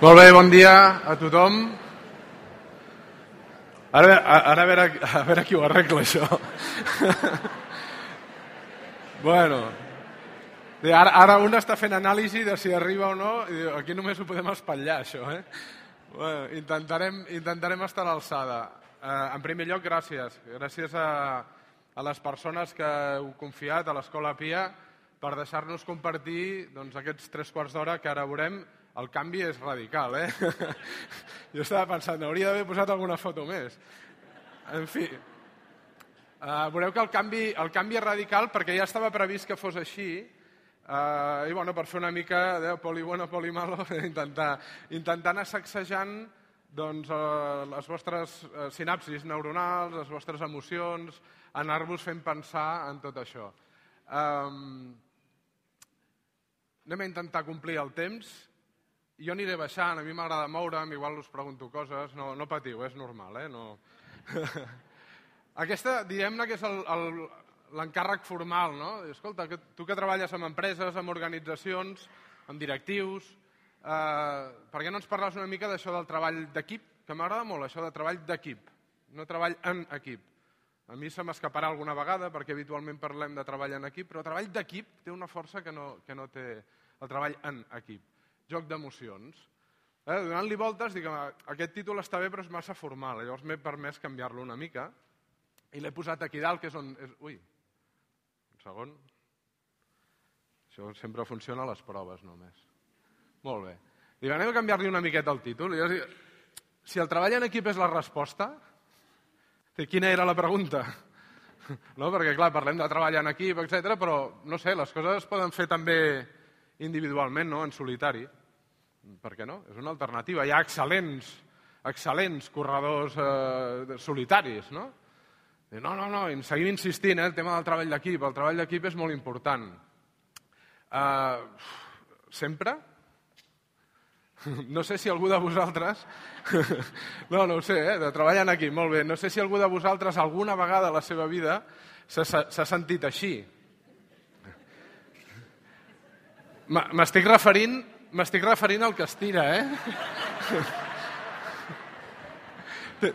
Molt bé, bon dia a tothom. Ara a veure qui ho arregla, això. Bueno, ara un està fent anàlisi de si arriba o no, i diu, aquí només ho podem espatllar, això. Bueno, intentarem estar a l'alçada. En primer lloc, gràcies. Gràcies a les persones que heu confiat a l'Escola Pia per deixar-nos compartir aquests 3 quarts d'hora que ara veurem. El canvi és radical, Jo estava pensant, hauria d'haver posat alguna foto més. En fi, veureu que el canvi és radical perquè ja estava previst que fos així i per fer una mica de poli bueno, poli malo, intentant anar sacsejant les vostres sinapsis neuronals, les vostres emocions, anar-vos fent pensar en tot això. Anem a intentar complir el temps. Jo aniré baixant, a mi m'agrada moure'm, igual us pregunto coses, no patiu, és normal, no. Aquesta, diguem-ne que és l'encàrrec formal, no? Escolta, tu que treballes amb empreses, amb organitzacions, amb directius, per què no ens parles una mica d'això del treball d'equip? Que m'agrada molt, això de treball d'equip, no treball en equip. A mi se m'escaparà alguna vegada, perquè habitualment parlem de treball en equip, però treball d'equip té una força que no té el treball en equip. Joc d'emocions. Donant-li voltes, dic, aquest títol està bé però és massa formal, llavors m'he permès canviar-lo una mica i l'he posat aquí dalt, que és on... Ui, un segon. Això sempre funciona a les proves només. Molt bé. Dic, anem a canviar-li una miqueta el títol. Si el treball en equip és la resposta, quina era la pregunta? No, perquè clar, parlem de treball en equip, etc., però no sé, les coses es poden fer també individualment, no? En solitari. Per què no? És una alternativa. Hi ha excel·lents corredors solitaris, no? No, seguim insistint, el tema del treball d'equip. El treball d'equip és molt important. Sempre? No sé si algú de vosaltres... No ho sé, de treballar en equip, molt bé. No sé si algú de vosaltres alguna vegada a la seva vida s'ha sentit així. M'estic referint al que estira,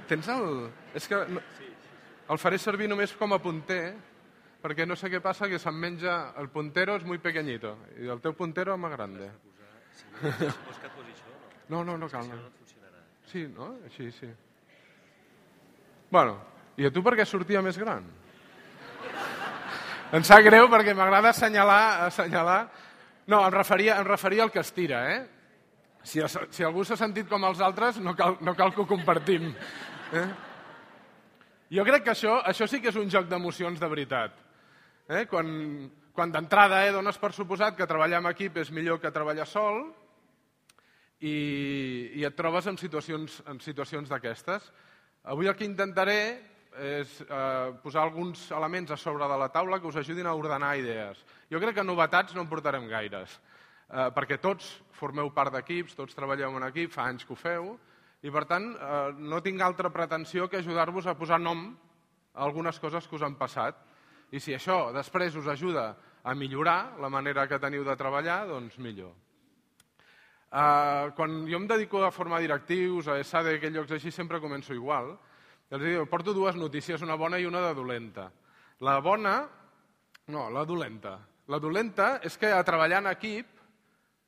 Tens el... És que el faré servir només com a punter, perquè no sé què passa, que se'm menja... El puntero és muy pequeñito, i el teu puntero és més grande. Vols que et posi això o no? No cal. Si no, no funcionarà. Sí, no? Així, sí. Bueno, i a tu per què sortia més gran? Em sap greu perquè m'agrada assenyalar... No, em referia al que estira, Si algú s'ha sentit com els altres, no cal que ho compartim. Jo crec que això sí que és un joc d'emocions de veritat. Quan d'entrada dones per suposat que treballar en equip és millor que treballar sol i et trobes en situacions d'aquestes. Avui el que intentaré és posar alguns elements a sobre de la taula que us ajudin a ordenar idees. Jo crec que novetats no en portarem gaires, perquè tots formeu part d'equips, tots treballeu en equip, fa anys que ho feu, i per tant no tinc altra pretensió que ajudar-vos a posar nom a algunes coses que us han passat. I si això després us ajuda a millorar la manera que teniu de treballar, doncs millor. Quan jo em dedico a formar directius, a ESADE, a aquells llocs així, sempre començo igual. Els dic, porto 2 notícies, una bona i una de dolenta. La bona... No, la dolenta. La dolenta és que a treballar en equip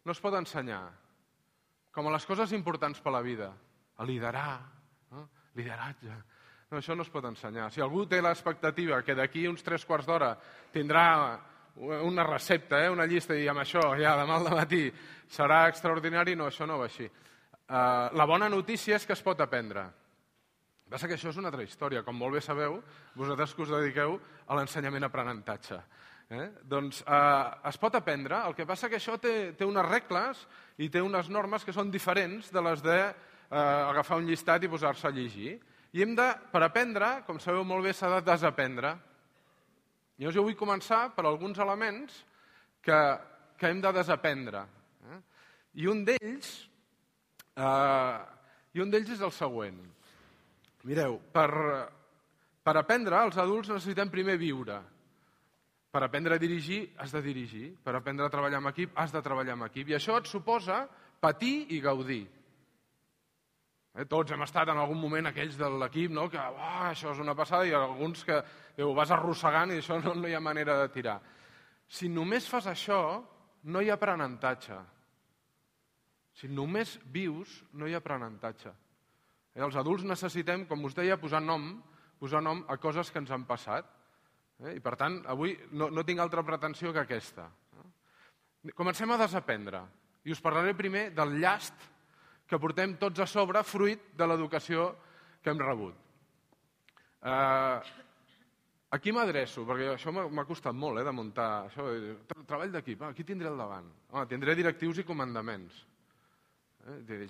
no es pot ensenyar. Com a les coses importants per la vida. A liderar, lideratge. No, això no es pot ensenyar. Si algú té l'expectativa que d'aquí uns 3 quarts d'hora tindrà una recepta, una llista, i amb això, ja demà al matí, serà extraordinari, no, això no va així. La bona notícia és que es pot aprendre. Passa que això és una altra història. Com molt bé sabeu, vosaltres que us dediqueu a l'ensenyament-aprenentatge. Doncs es pot aprendre, el que passa que això té unes regles i té unes normes que són diferents de les d'agafar un llistat i posar-se a llegir. I per aprendre, com sabeu molt bé, s'ha de desaprendre. Llavors jo vull començar per alguns elements que hem de desaprendre. I un d'ells és el següent. Mireu, per aprendre, els adults necessitem primer viure. Per aprendre a dirigir, has de dirigir. Per aprendre a treballar en equip, has de treballar en equip. I això et suposa patir i gaudir. Tots hem estat en algun moment aquells de l'equip, no? Que això és una passada, i alguns que ho vas arrossegant i això no hi ha manera de tirar. Si només fas això, no hi ha aprenentatge. Si només vius, no hi ha aprenentatge. Els adults necessitem, com us deia, posar nom a coses que ens han passat. I per tant, avui no tinc altra pretensió que aquesta. Comencem a desaprendre. I us parlaré primer del llast que portem tots a sobre, fruit de l'educació que hem rebut. Aquí m'adreço, perquè això m'ha costat molt, de muntar això. Treball d'equip, aquí tindré al davant. Tindré directius i comandaments.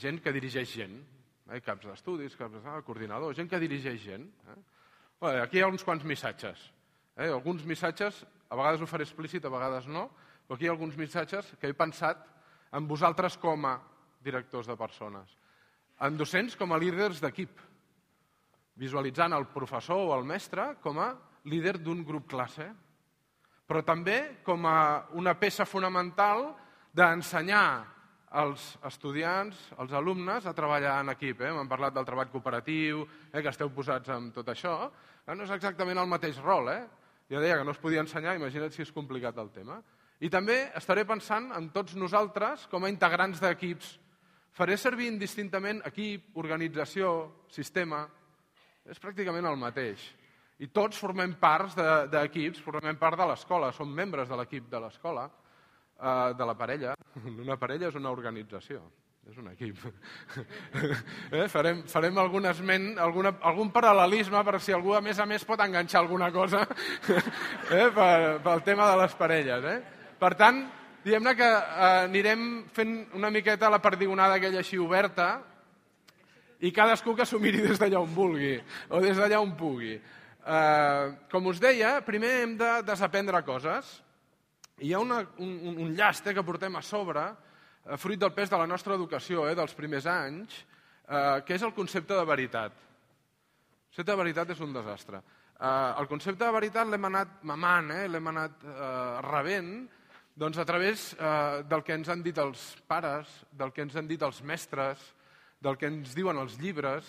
Gent que dirigeix gent. Caps d'estudis, coordinadors, gent que dirigeix gent. Aquí hi ha uns quants missatges. Alguns missatges, a vegades ho faré explícit, a vegades no, però aquí hi ha alguns missatges que he pensat en vosaltres com a directors de persones, en docents com a líders d'equip, visualitzant el professor o el mestre com a líder d'un grup classe, però també com a una peça fonamental d'ensenyar als estudiants, als alumnes, a treballar en equip. M'han parlat del treball cooperatiu, que esteu posats en tot això. No és exactament el mateix rol. Ja deia que no es podia ensenyar, imagina't si és complicat el tema. I també estaré pensant en tots nosaltres com a integrants d'equips. Faré servir indistintament equip, organització, sistema. És pràcticament el mateix. I tots formem parts d'equips, formem part de l'escola, som membres de l'equip de l'escola, de la parella. Una parella és una organització, és un equip. Farem algun esment, algun paral·lelisme per si algú a més pot enganxar alguna cosa pel tema de les parelles. Per tant, diguem-ne que anirem fent una miqueta la perdigonada aquella així oberta i cadascú que s'ho miri des d'allà on vulgui o des d'allà on pugui. Com us deia, primer hem de desaprendre coses. Hi ha un llast que portem a sobre, fruit del pes de la nostra educació dels primers anys, que és el concepte de veritat. El concepte de veritat és un desastre. El concepte de veritat l'hem anat mamant, l'hem anat rebent, doncs a través del que ens han dit els pares, del que ens han dit els mestres, del que ens diuen els llibres.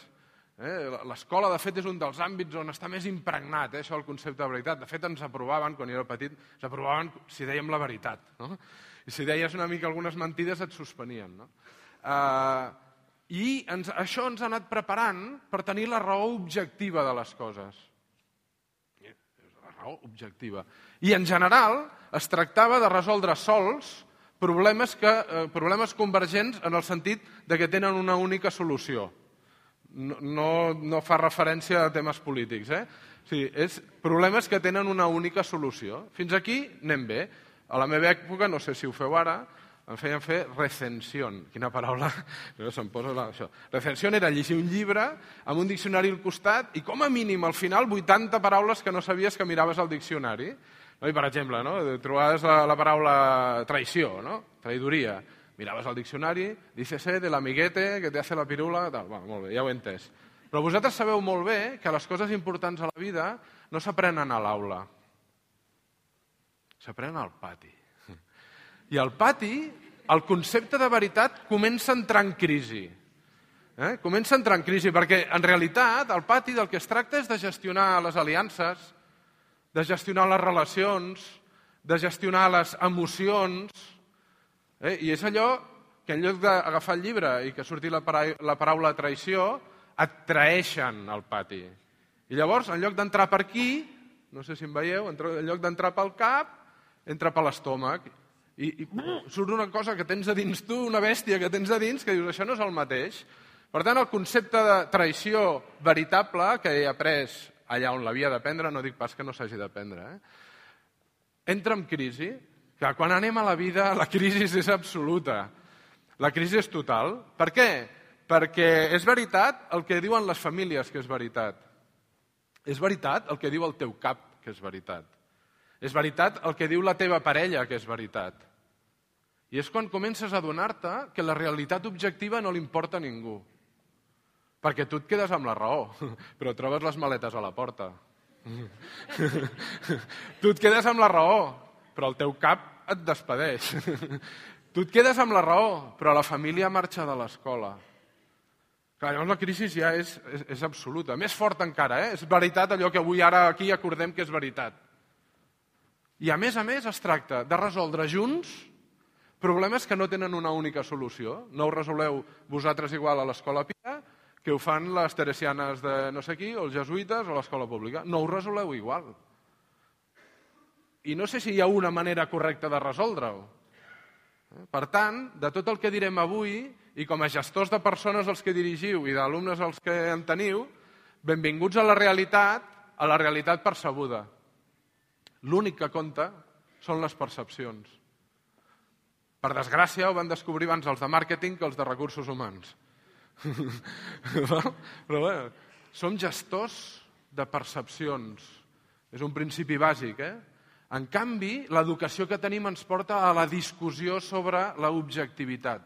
L'escola, de fet, és un dels àmbits on està més impregnat això del concepte de veritat. De fet, ens aprovaven, quan jo era petit, ens aprovaven si dèiem la veritat. I si deies una mica algunes mentides et suspenien. I això ens ha anat preparant per tenir la raó objectiva de les coses. La raó objectiva. I, en general, es tractava de resoldre sols problemes convergents en el sentit que tenen una única solució. No fa referència a temes polítics. Sí, és problemes que tenen una única solució. Fins aquí anem bé. A la meva època, no sé si ho feu ara, em feien fer recensión. Quina paraula? Se'm posa això. Recensión era llegir un llibre amb un diccionari al costat i com a mínim al final 80 paraules que no sabies que miraves al diccionari. I, per exemple, trobaves la paraula traïció, traïdoria. Miraves al diccionari, dícese de l'amiguete que te hace la pirula, tal. Molt bé, ja ho he entès. Però vosaltres sabeu molt bé que les coses importants a la vida no s'aprenen a l'aula. S'aprenen al pati. I al pati, el concepte de veritat comença a entrar en crisi. Comença a entrar en crisi, perquè en realitat al pati del que es tracta és de gestionar les aliances, de gestionar les relacions, de gestionar les emocions. I és allò que en lloc d'agafar el llibre i que surti la paraula traïció, et traeixen al pati. I llavors, en lloc d'entrar per aquí, no sé si em veieu, en lloc d'entrar pel cap, entra per l'estómac. I surt una cosa que tens a dins tu, una bèstia que tens a dins, que dius, això no és el mateix. Per tant, el concepte de traïció veritable, que he après allà on l'havia d'aprendre, no dic pas que no s'hagi d'aprendre, entra en crisi, que quan anem a la vida la crisi és absoluta. La crisi és total. Per què? Perquè és veritat el que diuen les famílies que és veritat. És veritat el que diu el teu cap que és veritat. És veritat el que diu la teva parella que és veritat. I és quan comences a adonar-te que la realitat objectiva no li importa a ningú. Perquè tu et quedes amb la raó, però trobes les maletes a la porta. Tu et quedes amb la raó, però el teu cap et despedeix. Tu et quedes amb la raó, però la família marxa de l'escola. Clar, llavors la crisi ja és absoluta. Més forta encara, És veritat allò que avui ara aquí acordem que és veritat. I a més es tracta de resoldre junts problemes que no tenen una única solució. No ho resoleu vosaltres igual a l'Escola Pia que ho fan les teresianes de no sé qui, o els jesuïtes, o l'escola pública. No ho resoleu igual. I no sé si hi ha una manera correcta de resoldre-ho. Per tant, de tot el que direm avui, i com a gestors de persones els que dirigiu i d'alumnes els que en teniu, benvinguts a la realitat percebuda. L'únic que compta són les percepcions. Per desgràcia, ho van descobrir abans els de màrqueting que els de recursos humans. Però bé, som gestors de percepcions. És un principi bàsic, En canvi, l'educació que tenim ens porta a la discussió sobre l'objectivitat.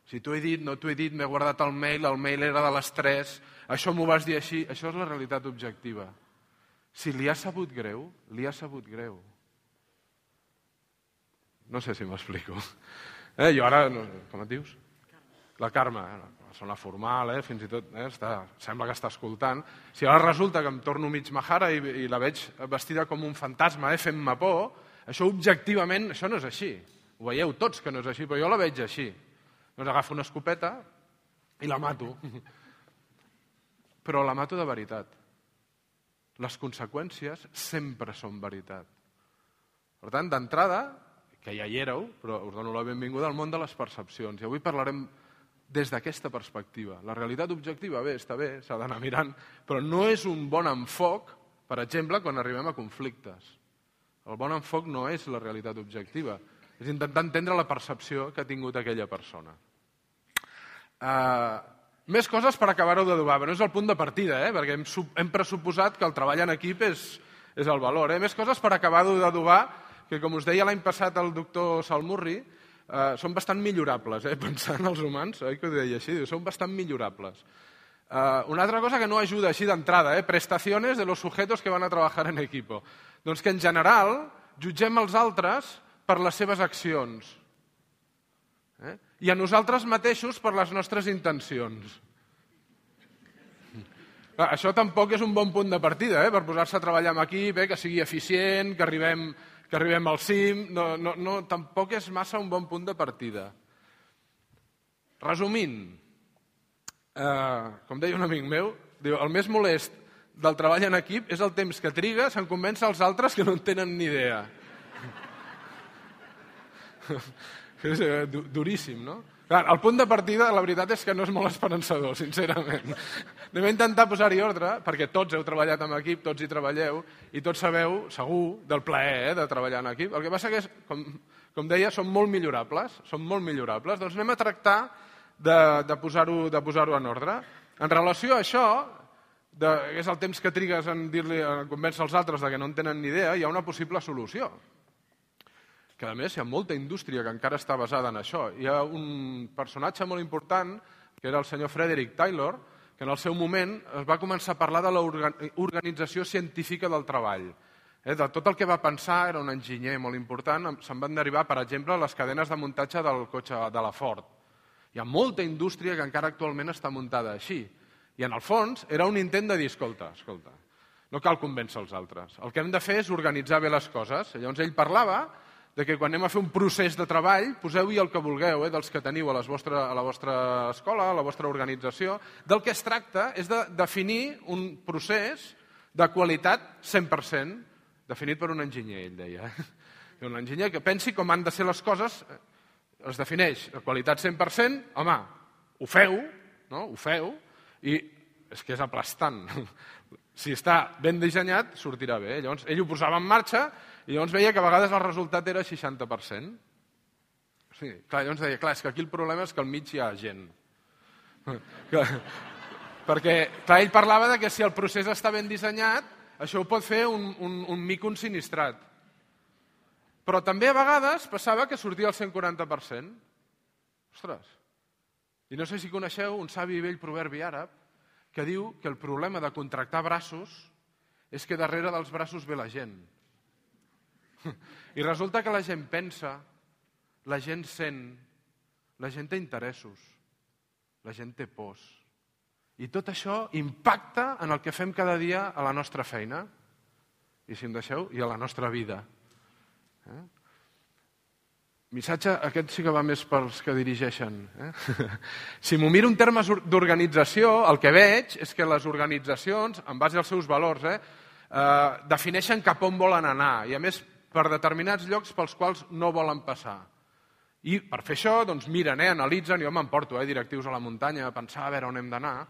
Si t'ho he dit, no t'ho he dit, m'he guardat el mail era de les 3, això m'ho vas dir així, això és la realitat objectiva. Si li ha sabut greu, li ha sabut greu. No sé si m'explico. Jo ara, com et dius? La Carme, persona formal, fins i tot sembla que està escoltant. Si ara resulta que em torno mig majara i la veig vestida com un fantasma, fent-me por, això objectivament, això no és així. Ho veieu tots que no és així, però jo la veig així. Doncs agafo una escopeta i la mato. Però la mato de veritat. Les conseqüències sempre són veritat. Per tant, d'entrada, que ja hi éreu, però us dono la benvinguda al món de les percepcions. I avui parlarem des d'aquesta perspectiva. La realitat objectiva, està bé, s'ha d'anar mirant, però no és un bon enfoc, per exemple, quan arribem a conflictes. El bon enfoc no és la realitat objectiva, és intentar entendre la percepció que ha tingut aquella persona. Més coses per acabar-ho d'adobar, però no és el punt de partida, perquè hem pressuposat que el treball en equip és el valor. Més coses per acabar-ho d'adobar, que com us deia l'any passat el doctor Salmurri, són bastant millorables, pensant els humans, oi que ho deia així? Són bastant millorables. Una altra cosa que no ajuda així d'entrada, prestaciones de los sujetos que van a trabajar en equipo. Doncs que en general jutgem els altres per les seves accions i a nosaltres mateixos per les nostres intencions. Això tampoc és un bon punt de partida, per posar-se a treballar en equip, que sigui eficient, que arribem al cim, tampoc és massa un bon punt de partida. Resumint, com deia un amic meu, diu, el més molest del treball en equip és el temps que trigues en convèncer els altres que no en tenen ni idea. És duríssim, no? Clar, el punt de partida, la veritat és que no és molt esperançador, sincerament. Anem a intentar posar-hi ordre, perquè tots heu treballat en equip, tots hi treballeu, i tots sabeu, segur, del plaer de treballar en equip. El que passa que, com deia, són molt millorables. Doncs anem a tractar de posar-ho en ordre. En relació a això, que és el temps que trigues en convèncer els altres que no en tenen ni idea, hi ha una possible solució. Que a més hi ha molta indústria que encara està basada en això. Hi ha un personatge molt important, que era el senyor Frederick Taylor, que en el seu moment es va començar a parlar de l'organització científica del treball. De tot el que va pensar, era un enginyer molt important, se'n van derivar, per exemple, les cadenes de muntatge del cotxe de la Ford. Hi ha molta indústria que encara actualment està muntada així. I en el fons era un intent de dir, escolta, no cal convèncer els altres. El que hem de fer és organitzar bé les coses. Llavors ell parlava de que quan anem a fer un procés de treball, poseu-hi el que vulgueu, dels que teniu a la vostra escola, a la vostra organització. Del que es tracta és de definir un procés de qualitat 100%, definit per un enginyer, ell deia. Un enginyer que pensi com han de ser les coses, es defineix de qualitat 100%, home, ho feu, i és que és aplastant. Si està ben dissenyat, sortirà bé. Llavors, ell ho posava en marxa i llavors veia que a vegades el resultat era 60%. Sí, clar, llavors deia, és que aquí el problema és que al mig hi ha gent. Perquè, clar, ell parlava de que si el procés està ben dissenyat, això ho pot fer un mico ensinistrat. Però també a vegades passava que sortia el 140%. Ostres! I no sé si coneixeu un savi i vell proverbi àrab que diu que el problema de contractar braços és que darrere dels braços ve la gent. I resulta que la gent pensa, la gent sent, la gent té interessos, la gent té pors, I tot això impacta en el que fem cada dia a la nostra feina, i si em deixeu, i a la nostra vida. Missatge, aquest sí que va més pels que dirigeixen. Si m'ho miro en termes d'organització, el que veig és que les organitzacions, en base als seus valors, defineixen cap on volen anar, i a més per determinats llocs pels quals no volen passar. I per fer això, doncs miren, analitzen, jo m'emporto directius a la muntanya a pensar a veure on hem d'anar,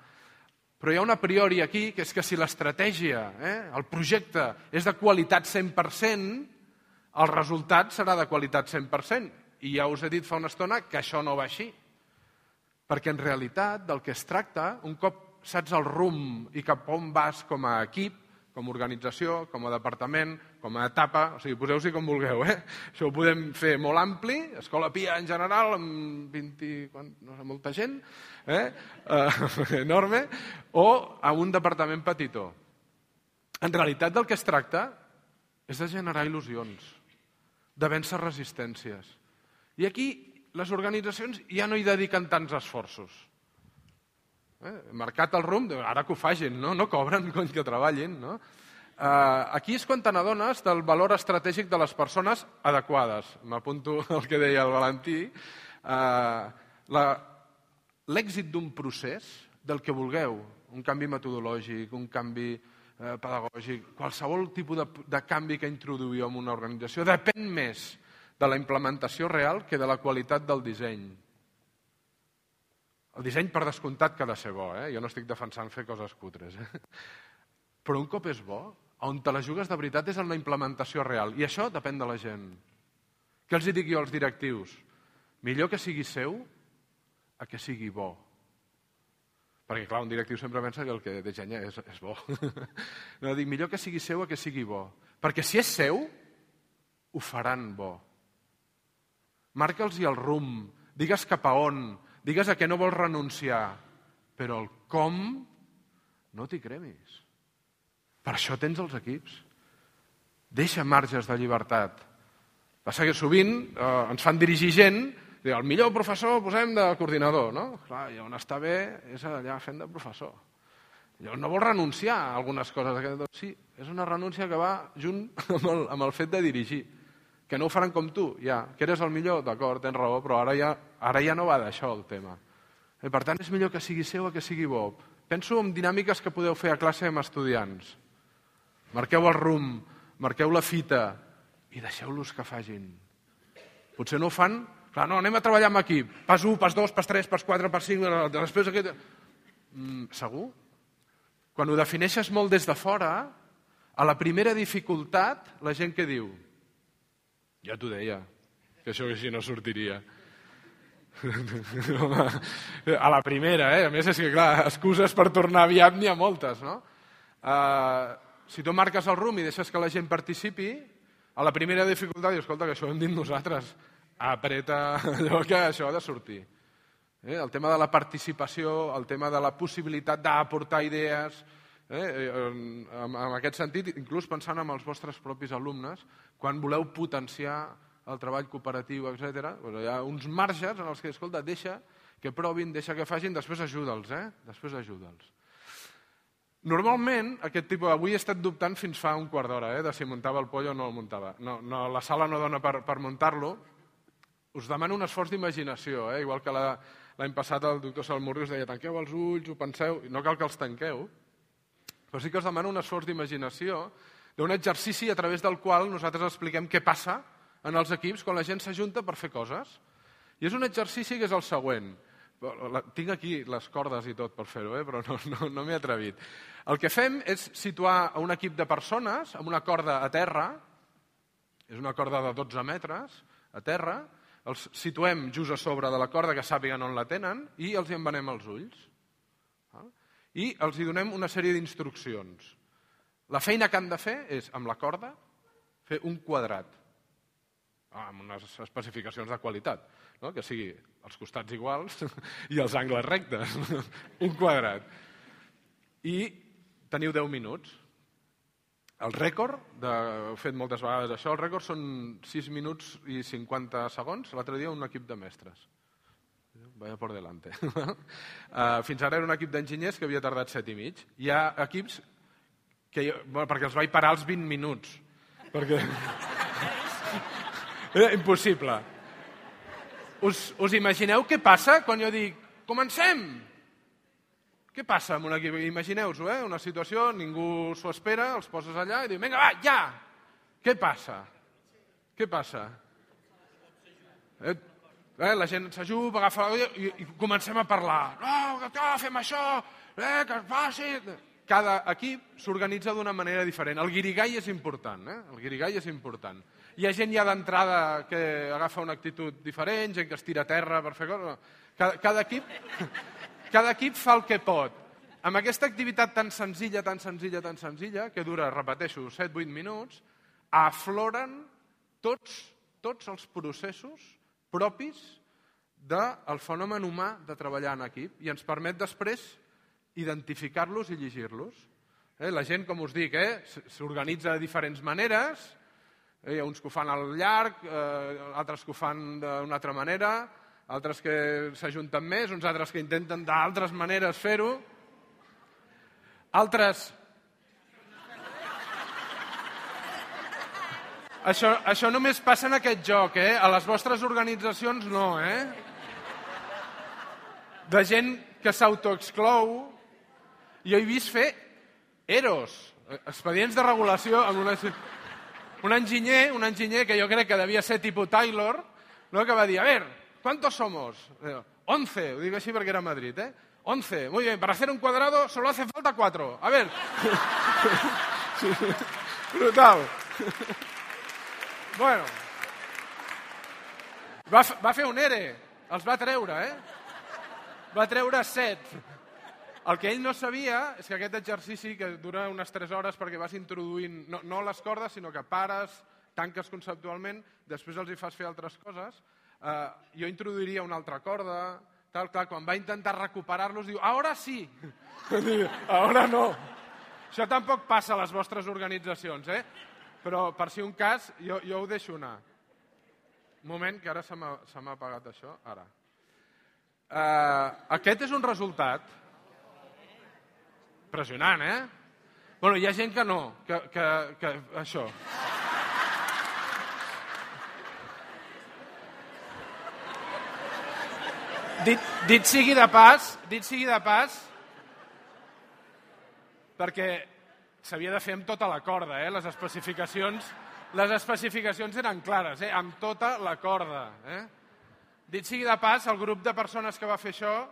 però hi ha un a priori aquí, que és que si l'estratègia, el projecte, és de qualitat 100%, el resultat serà de qualitat 100%. I ja us he dit fa una estona que això no va així. Perquè en realitat del que es tracta, un cop saps el rumb i cap on vas com a equip, com a organització, com a departament, com a etapa, o sigui, poseu-s'hi com vulgueu, Això ho podem fer molt ampli, Escola Pia en general, amb 20, no sé, molta gent, enorme, o a un departament petitó. En realitat del que es tracta és de generar il·lusions, de vèncer resistències. I aquí les organitzacions ja no hi dediquen tants esforços. Marcat el rumb, ara que ho facin, no cobren que treballin. Aquí és quan te n'adones del valor estratègic de les persones adequades. M'apunto al que deia el Valentí. L'èxit d'un procés, del que vulgueu, un canvi metodològic, un canvi pedagògic, qualsevol tipus de canvi que introduïu en una organització, depèn més de la implementació real que de la qualitat del disseny. El disseny, per descomptat, que ha de ser bo. Jo no estic defensant fer coses cutres. Però un cop és bo, on te la jugues de veritat és en la implementació real. I això depèn de la gent. Què els dic jo als directius? Millor que sigui seu a que sigui bo. Perquè, clar, un directiu sempre pensa que el que dissenya és bo. No, dic, millor que sigui seu a que sigui bo. Perquè si és seu, ho faran bo. Marca'ls-hi el rumb, digues cap a on, digues a què no vols renunciar, però el com no t'hi cremis. Per això tens els equips. Deixa marges de llibertat. Passa que sovint ens fan dirigir gent, el millor professor posem de coordinador, no? Clar, i on està bé és allà fent de professor. Llavors no vols renunciar a algunes coses. Sí, és una renúncia que va junt amb el fet de dirigir. Que no ho faran com tu, ja. Que eres el millor, d'acord, tens raó, però ara ja no va d'això el tema. Per tant, és millor que sigui seu o que sigui bo. Penso en dinàmiques que podeu fer a classe amb estudiants. Marqueu el rumb, marqueu la fita i deixeu-los que facin. Potser no ho fan... Clar, no, anem a treballar amb equip. Pas 1, pas 2, pas 3, pas 4, pas 5... Després aquest... Segur? Quan ho defineixes molt des de fora, a la primera dificultat, la gent què diu? Ja t'ho deia, que això així no sortiria. A la primera, A més, és que, clar, excuses per tornar aviat n'hi ha moltes, no? Si tu marques el rumb i deixes que la gent participi, a la primera dificultat dius, escolta, que això ho hem dit nosaltres, apreta allò que això ha de sortir. El tema de la participació, el tema de la possibilitat d'aportar idees, en aquest sentit, inclús pensant en els vostres propis alumnes, quan voleu potenciar el treball cooperatiu, etc., hi ha uns marges en els que, escolta, deixa que provin, deixa que facin, després ajuda'ls, després ajuda'ls. Normalment, aquest tipus... Avui he estat dubtant fins fa un quart d'hora, de si muntava el pollo o no el muntava. No, la sala no dona per muntar-lo. Us demano un esforç d'imaginació, igual que l'any passat el doctor Salmurri us deia tanqueu els ulls, ho penseu, no cal que els tanqueu, però sí que us demano un esforç d'imaginació d'un exercici a través del qual nosaltres expliquem què passa en els equips quan la gent s'ajunta per fer coses. I és un exercici que és el següent. Tinc aquí les cordes i tot per fer-ho, però no m'he atrevit. El que fem és situar un equip de persones amb una corda a terra, és una corda de 12 metres, a terra, els situem just a sobre de la corda que sàpiguen on la tenen i els hi envenem els ulls. I els hi donem una sèrie d'instruccions. La feina que han de fer és, amb la corda, fer un quadrat, amb unes especificacions de qualitat, que sigui els costats iguals i els angles rectes, un quadrat. I teniu 10 minuts. El rècord, he fet moltes vegades això, el rècord són 6 minuts i 50 segons, l'altre dia un equip de mestres. vaya por delante. Fins ara era un equip d'enginyers que havia tardat 7 i mig. Hi ha equips que perquè els vaig parar als 20 minuts. Perquè... Impossible. Us imagineu què passa quan jo dic comencem? Què passa amb un equip? Imagineu-vos, una situació, ningú s'ho espera, els poses allà i diu, vinga, va, ja! Què passa? Què passa? La gent s'ajup, agafa i comencem a parlar. No, fem això, que es passi... Cada equip s'organitza d'una manera diferent. El guirigall és important, el guirigall és important. Hi ha gent ja d'entrada que agafa una actitud diferent, gent que es tira a terra per fer coses. Cada equip fa el que pot. Amb aquesta activitat tan senzilla, que dura, repeteixo, 7-8 minuts, afloren tots els processos propis del fenomen humà de treballar en equip i ens permet després identificar-los i llegir-los. La gent, com us dic, s'organitza de diferents maneres, hi ha uns que ho fan al llarg, altres que ho fan d'una altra manera, altres que s'ajunten més, uns altres que intenten d'altres maneres fer-ho, altres... Això només passa en aquest joc, a les vostres organitzacions no, De gent que s'autoexclou. Jo he vist fer EROs, expedients de regulació, amb un enginyer que jo crec que devia ser tipus Taylor, que va dir, a ver, ¿cuántos somos? 11, ho dic així perquè era a Madrid, 11, muy bien, para hacer un cuadrado solo hace falta 4. A ver. Brutal. Bueno. Va fer un ERE, els va treure, Va treure 7. El que ell no sabia és que aquest exercici, que dura unes 3 hores perquè vas introduint, no les cordes, sinó que pares, tanques conceptualment, després els hi fas fer altres coses, jo introduiria una altra corda, tal, clar, quan va intentar recuperar-los, diu, ahora sí. Ahora no. Això tampoc passa a les vostres organitzacions, però per si un cas, jo ho deixo anar. Un moment, que ara se m'ha apagat això. Ara. Aquest és un resultat impressionant, Bueno, hi ha gent que no, que això. Dit sigui de pas, perquè s'havia de fer amb tota la corda, les especificacions eren clares, amb tota la corda. Dit sigui de pas, el grup de persones que va fer això,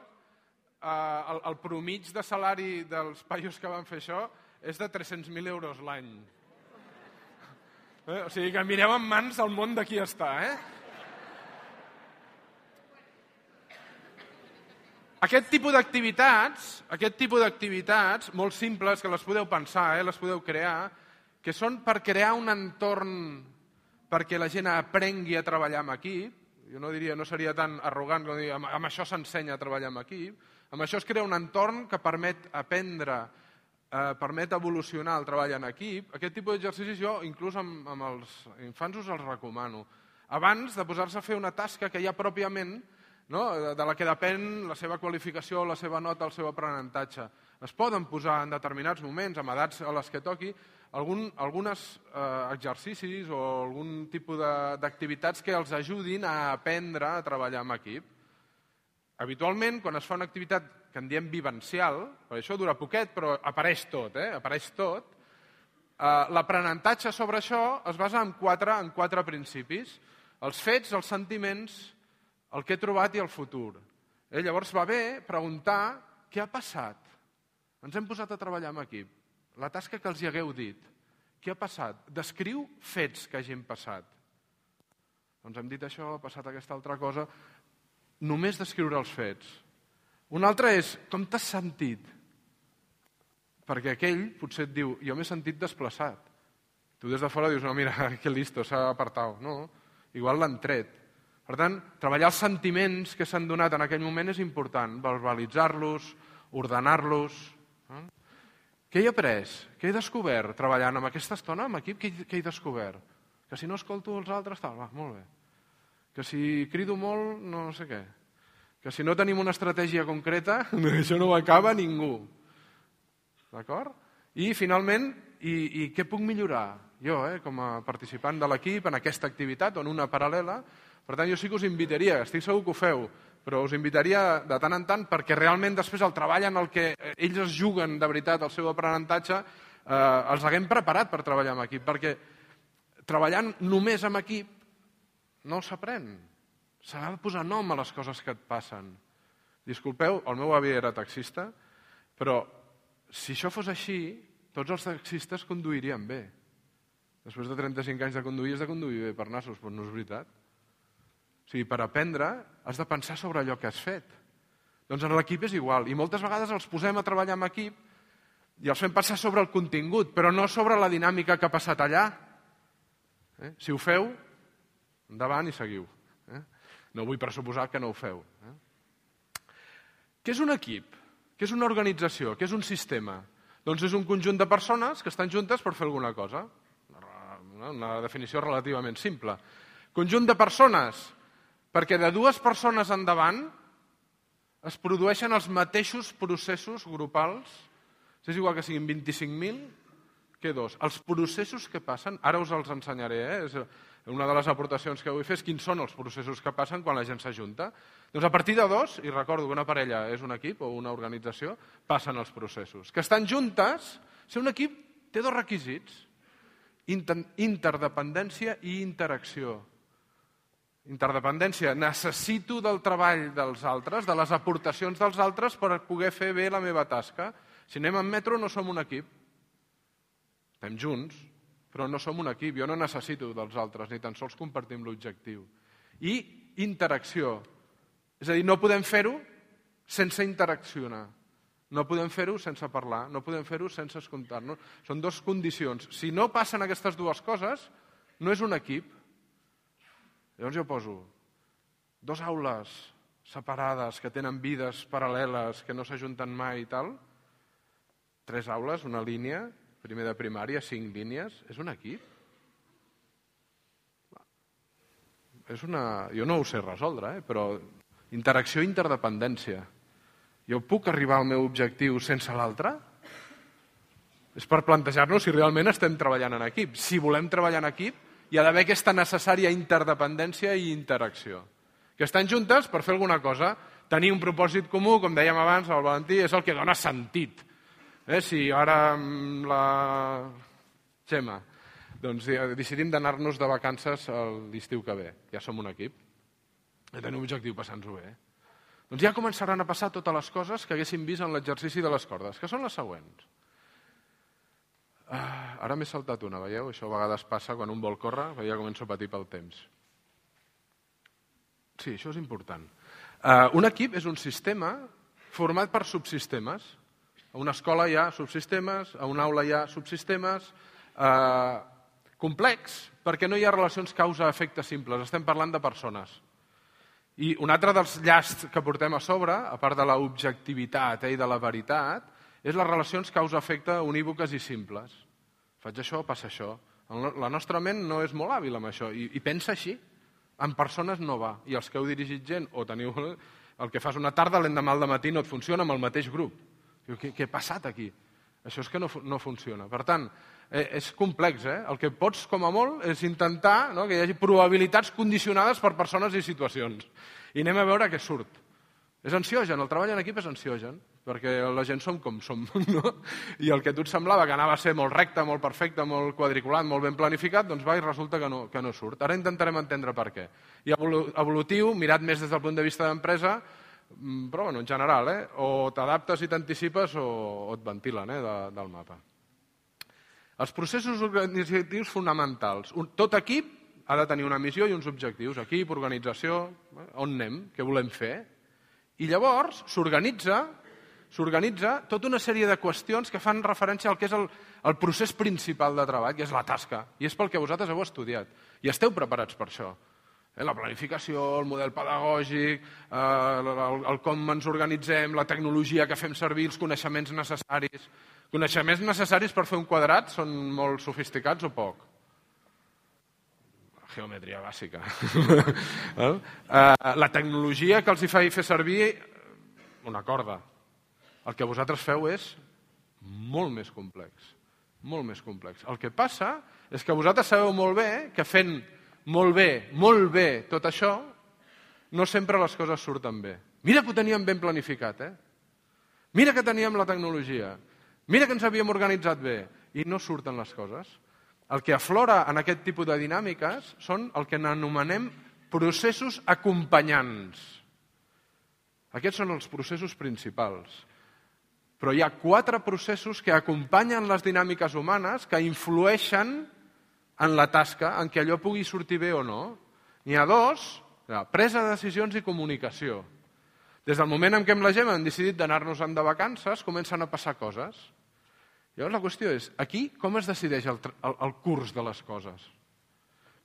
el promig de salari dels paios que van fer això és de 300.000 euros l'any. O sigui que mireu en mans el món de qui està, Aquest tipus d'activitats, molt simples, que les podeu pensar, les podeu crear, que són per crear un entorn perquè la gent aprengui a treballar amb equip. Jo no seria tan arrogant com dir, amb això s'ensenya a treballar amb equip. Amb això es crea un entorn que permet aprendre, permet evolucionar el treball en equip. Aquest tipus d'exercicis jo, inclús amb els infants, us els recomano. Abans de posar-se a fer una tasca que ja pròpiament, de la que depèn la seva qualificació, la seva nota, el seu aprenentatge. Es poden posar en determinats moments, amb edats a les que toqui, alguns exercicis o algun tipus d'activitats que els ajudin a aprendre a treballar en equip. Habitualment, quan es fa una activitat que en diem vivencial, perquè això dura poquet, però apareix tot, l'aprenentatge sobre això es basa en quatre principis. Els fets, els sentiments, el que he trobat i el futur. Llavors va bé preguntar què ha passat. Ens hem posat a treballar en equip. La tasca que els hi hagueu dit. Què ha passat? Descriu fets que hagin passat. Doncs hem dit això, ha passat aquesta altra cosa. Només descriure els fets. Un altre és, com t'has sentit? Perquè aquell potser et diu, jo m'he sentit desplaçat. Tu des de fora dius, no, mira, que listo, s'ha apartat. No, igual l'han tret. Per tant, treballar els sentiments que s'han donat en aquell moment és important. Verbalitzar-los, ordenar-los. Què he après? Què he descobert treballant amb aquesta estona, amb equip? Què he descobert? Que si no escolto els altres, tal, va, molt bé. Que si crido molt, no sé què. que si no tenim una estratègia concreta, això no ho acaba ningú. D'acord? I finalment, i què puc millorar? Jo, com a participant de l'equip, en aquesta activitat o en una paral·lela. Per tant, jo sí que us invitaria, estic segur que ho feu, però us invitaria de tant en tant perquè realment després el treball en el que ells es juguen de veritat el seu aprenentatge els haguem preparat per treballar en equip, perquè treballant només en equip no s'aprèn. S'ha de posar nom a les coses que et passen. Disculpeu, el meu avi era taxista, però si això fos així, tots els taxistes conduirien bé. Després de 35 anys de conduir, has de conduir bé per nassos, però no és veritat. O sigui, per aprendre has de pensar sobre allò que has fet. Doncs en l'equip és igual. I moltes vegades els posem a treballar en equip i els fem passar sobre el contingut, però no sobre la dinàmica que ha passat allà. Si ho feu, endavant i seguiu. No vull pressuposar que no ho feu. Què és un equip? Què és una organització? Què és un sistema? Doncs és un conjunt de persones que estan juntes per fer alguna cosa. Una definició relativament simple. Conjunt de persones, perquè de dues persones endavant es produeixen els mateixos processos grupals. És igual que siguin 25.000 que dos. Els processos que passen, ara us els ensenyaré, una de les aportacions que vull fer és quins són els processos que passen quan la gent s'ajunta. Doncs a partir de dos, i recordo que una parella és un equip o una organització, passen els processos. Que estan juntes, ser un equip té dos requisits: interdependència i interacció. Interdependència, necessito del treball dels altres, de les aportacions dels altres per poder fer bé la meva tasca. Si anem en metro no som un equip. Estem junts, però no som un equip. Jo no necessito dels altres, ni tan sols compartim l'objectiu. I interacció. És a dir, no podem fer-ho sense interaccionar. No podem fer-ho sense parlar, no podem fer-ho sense escoltar-nos. Són dues condicions. Si no passen aquestes dues coses, no és un equip. Llavors jo poso dues aules separades que tenen vides paral·leles, que no s'ajunten mai i tal, 3 aules, una línia, primer de primària, 5 línies, és un equip? Jo no ho sé resoldre, però interacció i interdependència. Jo puc arribar al meu objectiu sense l'altre? És per plantejar-nos si realment estem treballant en equip. Si volem treballar en equip, hi ha d'haver aquesta necessària interdependència i interacció. Que estan juntes per fer alguna cosa. Tenir un propòsit comú, com dèiem abans, el Valentí, és el que dona sentit. Si ara la Gemma decidim d'anar-nos de vacances l'estiu que ve, ja som un equip, ja tenim un objectiu, passant-nos-ho bé. Doncs ja començaran a passar totes les coses que haguéssim vist en l'exercici de les cordes, que són les següents. Ara m'he saltat una, veieu? Això a vegades passa quan un vol córrer, ja començo a patir pel temps. Sí, això és important. Un equip és un sistema format per subsistemes. A una escola hi ha subsistemes, a una aula hi ha subsistemes, complex, perquè no hi ha relacions causa-efecte simples, estem parlant de persones. I un altre dels llasts que portem a sobre, a part de l'objectivitat i de la veritat, és les relacions causa-efecte unívoques i simples. Faig això, passa això. La nostra ment no és molt hàbil amb això i pensa així. En persones no va. I els que heu dirigit gent o teniu el que fas una tarda, l'endemà al matí no et funciona amb el mateix grup. Què ha passat aquí? Això és que no funciona. Per tant, és complex. El que pots, com a molt, és intentar que hi hagi probabilitats condicionades per persones i situacions. I anem a veure què surt. És ansiogen, el treball en equip és ansiogen, perquè la gent som com som. I el que a tu et semblava que anava a ser molt recte, molt perfecte, molt quadriculat, molt ben planificat, doncs va i resulta que no surt. Ara intentarem entendre per què. I evolutiu, mirat més des del punt de vista d'empresa, però en general, o t'adaptes i t'anticipes o et ventilen del mapa. Els processos organitzatius fonamentals. Tot equip ha de tenir una missió i uns objectius. Equip, organització, on anem, què volem fer. I llavors s'organitza tota una sèrie de qüestions que fan referència al que és el procés principal de treball, que és la tasca. I és pel que vosaltres heu estudiat. I esteu preparats per això. La planificació, el model pedagògic, el com ens organitzem, la tecnologia que fem servir, els coneixements necessaris. Coneixements necessaris per fer un quadrat són molt sofisticats o poc? geometria bàsica. La tecnologia que els hi fa fer servir una corda. El que vosaltres feu és molt més complex. Molt més complex. El que passa és que vosaltres sabeu molt bé que fent molt bé tot això, no sempre les coses surten bé. Mira que ho teníem ben planificat, Mira que teníem la tecnologia. Mira que ens havíem organitzat bé. I no surten les coses. El que aflora en aquest tipus de dinàmiques són el que anomenem processos acompanyants. Aquests són els processos principals. Però hi ha 4 processos que acompanyen les dinàmiques humanes que influeixen en la tasca, en què allò pugui sortir bé o no. N'hi ha 2, presa de decisions i comunicació. Des del moment en què amb la Gemma hem decidit d'anar-nos-en de vacances, comencen a passar coses. Llavors la qüestió és, aquí com es decideix el curs de les coses?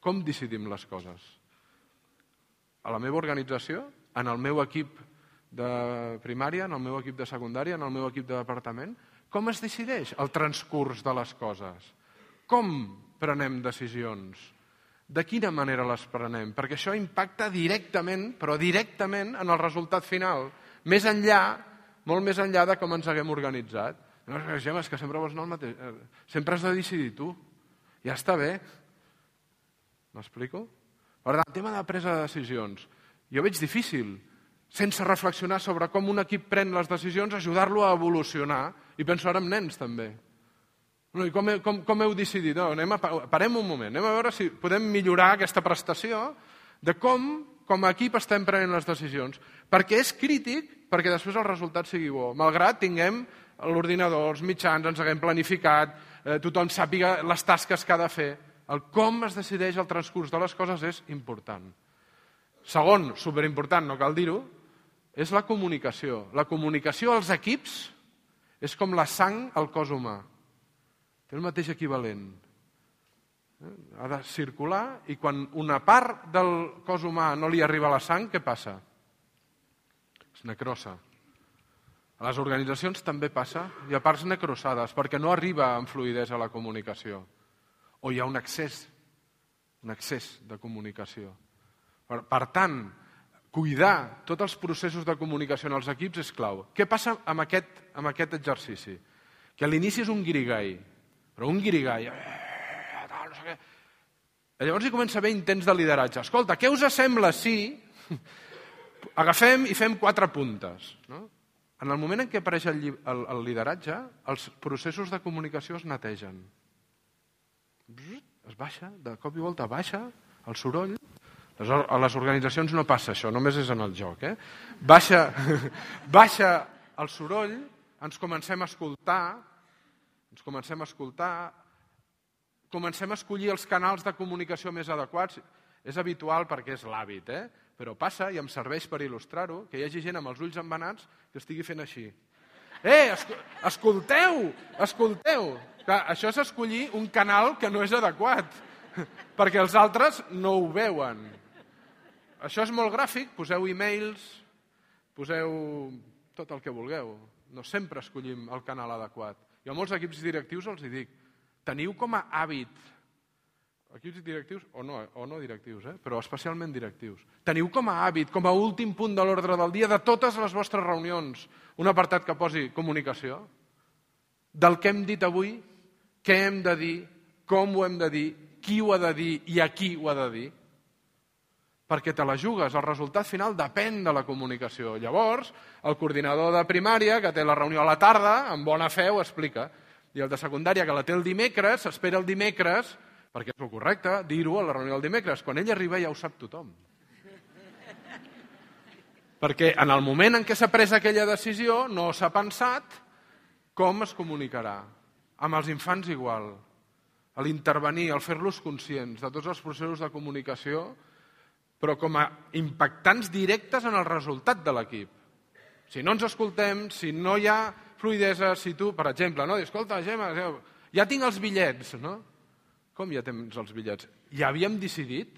Com decidim les coses? A la meva organització, en el meu equip de primària, en el meu equip de secundària, en el meu equip de departament, com es decideix el transcurs de les coses? Com prenem decisions? De quina manera les prenem? Perquè això impacta directament, però directament, en el resultat final. Més enllà, molt més enllà de com ens haguem organitzat. No, Gemma, és que sempre vols anar al mateix. Sempre has de decidir tu. Ja està bé. M'explico? Per tant, el tema de presa de decisions. Jo veig difícil, sense reflexionar sobre com un equip pren les decisions, ajudar-lo a evolucionar. I penso ara en nens, també. I com heu decidit? Parem un moment, anem a veure si podem millorar aquesta prestació de com a equip estem prenent les decisions. Perquè és crític perquè després el resultat sigui bo. Malgrat tinguem l'ordinador, els mitjans, ens haguem planificat, tothom sàpiga les tasques que ha de fer. El com es decideix el transcurs de les coses és important. Segon, superimportant, no cal dir-ho, és la comunicació. La comunicació als equips és com la sang al cos humà. Té el mateix equivalent. Ha de circular i quan una part del cos humà no li arriba a la sang, què passa? Es necrosa. A les organitzacions també passa. Hi ha parts necrosades perquè no arriba amb fluïdesa a la comunicació. O hi ha un excés de comunicació. Per tant, cuidar tots els processos de comunicació en els equips és clau. Què passa amb aquest exercici? Que a l'inici és un guirigall, però un guirigall, no sé què. Llavors hi comença a haver intents de lideratge. Escolta, què us sembla si agafem i fem 4 puntes? No? En el moment en què apareix el lideratge, els processos de comunicació es netegen. Es baixa, de cop i volta baixa el soroll. A les organitzacions no passa això, només és en el joc. Baixa el soroll, ens comencem a escoltar, comencem a escollir els canals de comunicació més adequats. És habitual perquè és l'hàbit, però passa, i em serveix per il·lustrar-ho, que hi hagi gent amb els ulls embenats que estigui fent així. Escolteu! Clar, això és escollir un canal que no és adequat, perquè els altres no ho veuen. Això és molt gràfic, poseu e-mails, poseu tot el que vulgueu. No sempre escollim el canal adequat. Jo a molts equips directius els dic, teniu com a hàbit, equips directius o no directius, però especialment directius, teniu com a hàbit, com a últim punt de l'ordre del dia de totes les vostres reunions, un apartat que posi comunicació, del que hem dit avui, què hem de dir, com ho hem de dir, qui ho ha de dir i a qui ho ha de dir, perquè te la jugues, el resultat final depèn de la comunicació. Llavors, el coordinador de primària, que té la reunió a la tarda, amb bona fe ho explica, i el de secundària, que la té el dimecres, s'espera el dimecres, perquè és el correcte, dir-ho a la reunió del dimecres. Quan ell arriba ja ho sap tothom. Perquè en el moment en què s'ha pres aquella decisió no s'ha pensat com es comunicarà. Amb els infants igual. A l'intervenir, al fer-los conscients de tots els processos de comunicació, però com a impactants directes en el resultat de l'equip. Si no ens escoltem, si no hi ha fluïdesa, si tu, per exemple, escolta, Gemma, ja tinc els bitllets, no? Com ja tens els bitllets? Ja havíem decidit?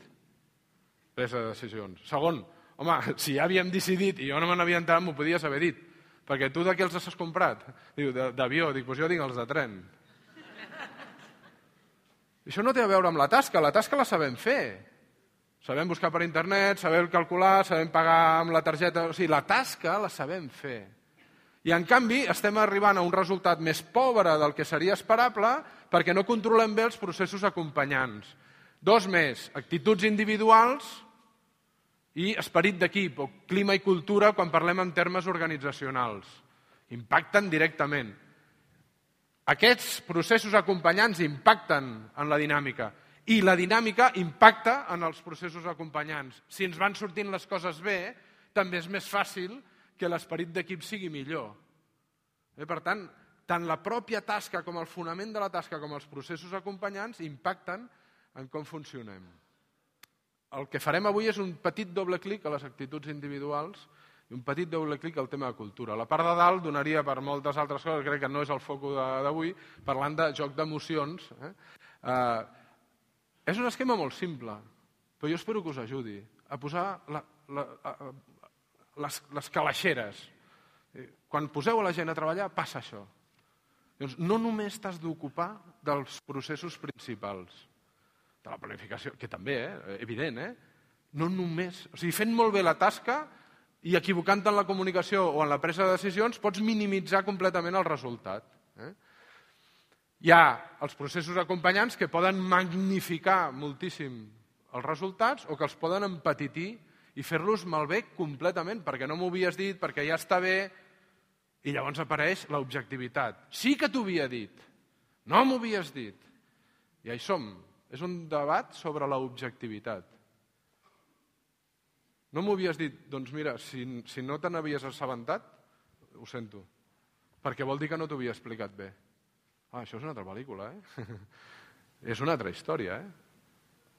Presa de decisions. Segon, home, si ja havíem decidit i jo no me n'havia enterat, m'ho podies haver dit. Perquè tu de què els has comprat? Diu, d'avió. Dic, doncs jo tinc els de tren. Això no té a veure amb la tasca la sabem fer. Sabem buscar per internet, sabem calcular, sabem pagar amb la targeta... O sigui, la tasca la sabem fer. I, en canvi, estem arribant a un resultat més pobre del que seria esperable perquè no controlem bé els processos acompanyants. 2 més, actituds individuals i esperit d'equip, o clima i cultura quan parlem en termes organitzacionals. Impacten directament. Aquests processos acompanyants impacten en la dinàmica i la dinàmica impacta en els processos acompanyants. Si ens van sortint les coses bé, també és més fàcil que l'esperit d'equip sigui millor. Per tant, tant la pròpia tasca com el fonament de la tasca com els processos acompanyants impacten en com funcionem. El que farem avui és un petit doble clic a les actituds individuals i un petit doble clic al tema de cultura. La part de dalt donaria per moltes altres coses, crec que no és el focus d'avui, parlant de joc d'emocions. És un esquema molt simple, però jo espero que us ajudi a posar les calaixeres. Quan poseu a la gent a treballar, passa això. Llavors, no només t'has d'ocupar dels processos principals, de la planificació, que també, evident, no només... O sigui, fent molt bé la tasca i equivocant-te en la comunicació o en la presa de decisions, pots minimitzar completament el resultat. Hi ha els processos acompanyants que poden magnificar moltíssim els resultats o que els poden empetitir i fer-los malbé completament, perquè no m'ho havies dit, perquè ja està bé, i llavors apareix l'objectivitat. Sí que t'ho havia dit, no m'ho havies dit. I hi som. És un debat sobre l'objectivitat. No m'ho havies dit, doncs mira, si no te n'havies assabentat, ho sento, perquè vol dir que no t'ho havia explicat bé. Això és una altra pel·lícula, És una altra història,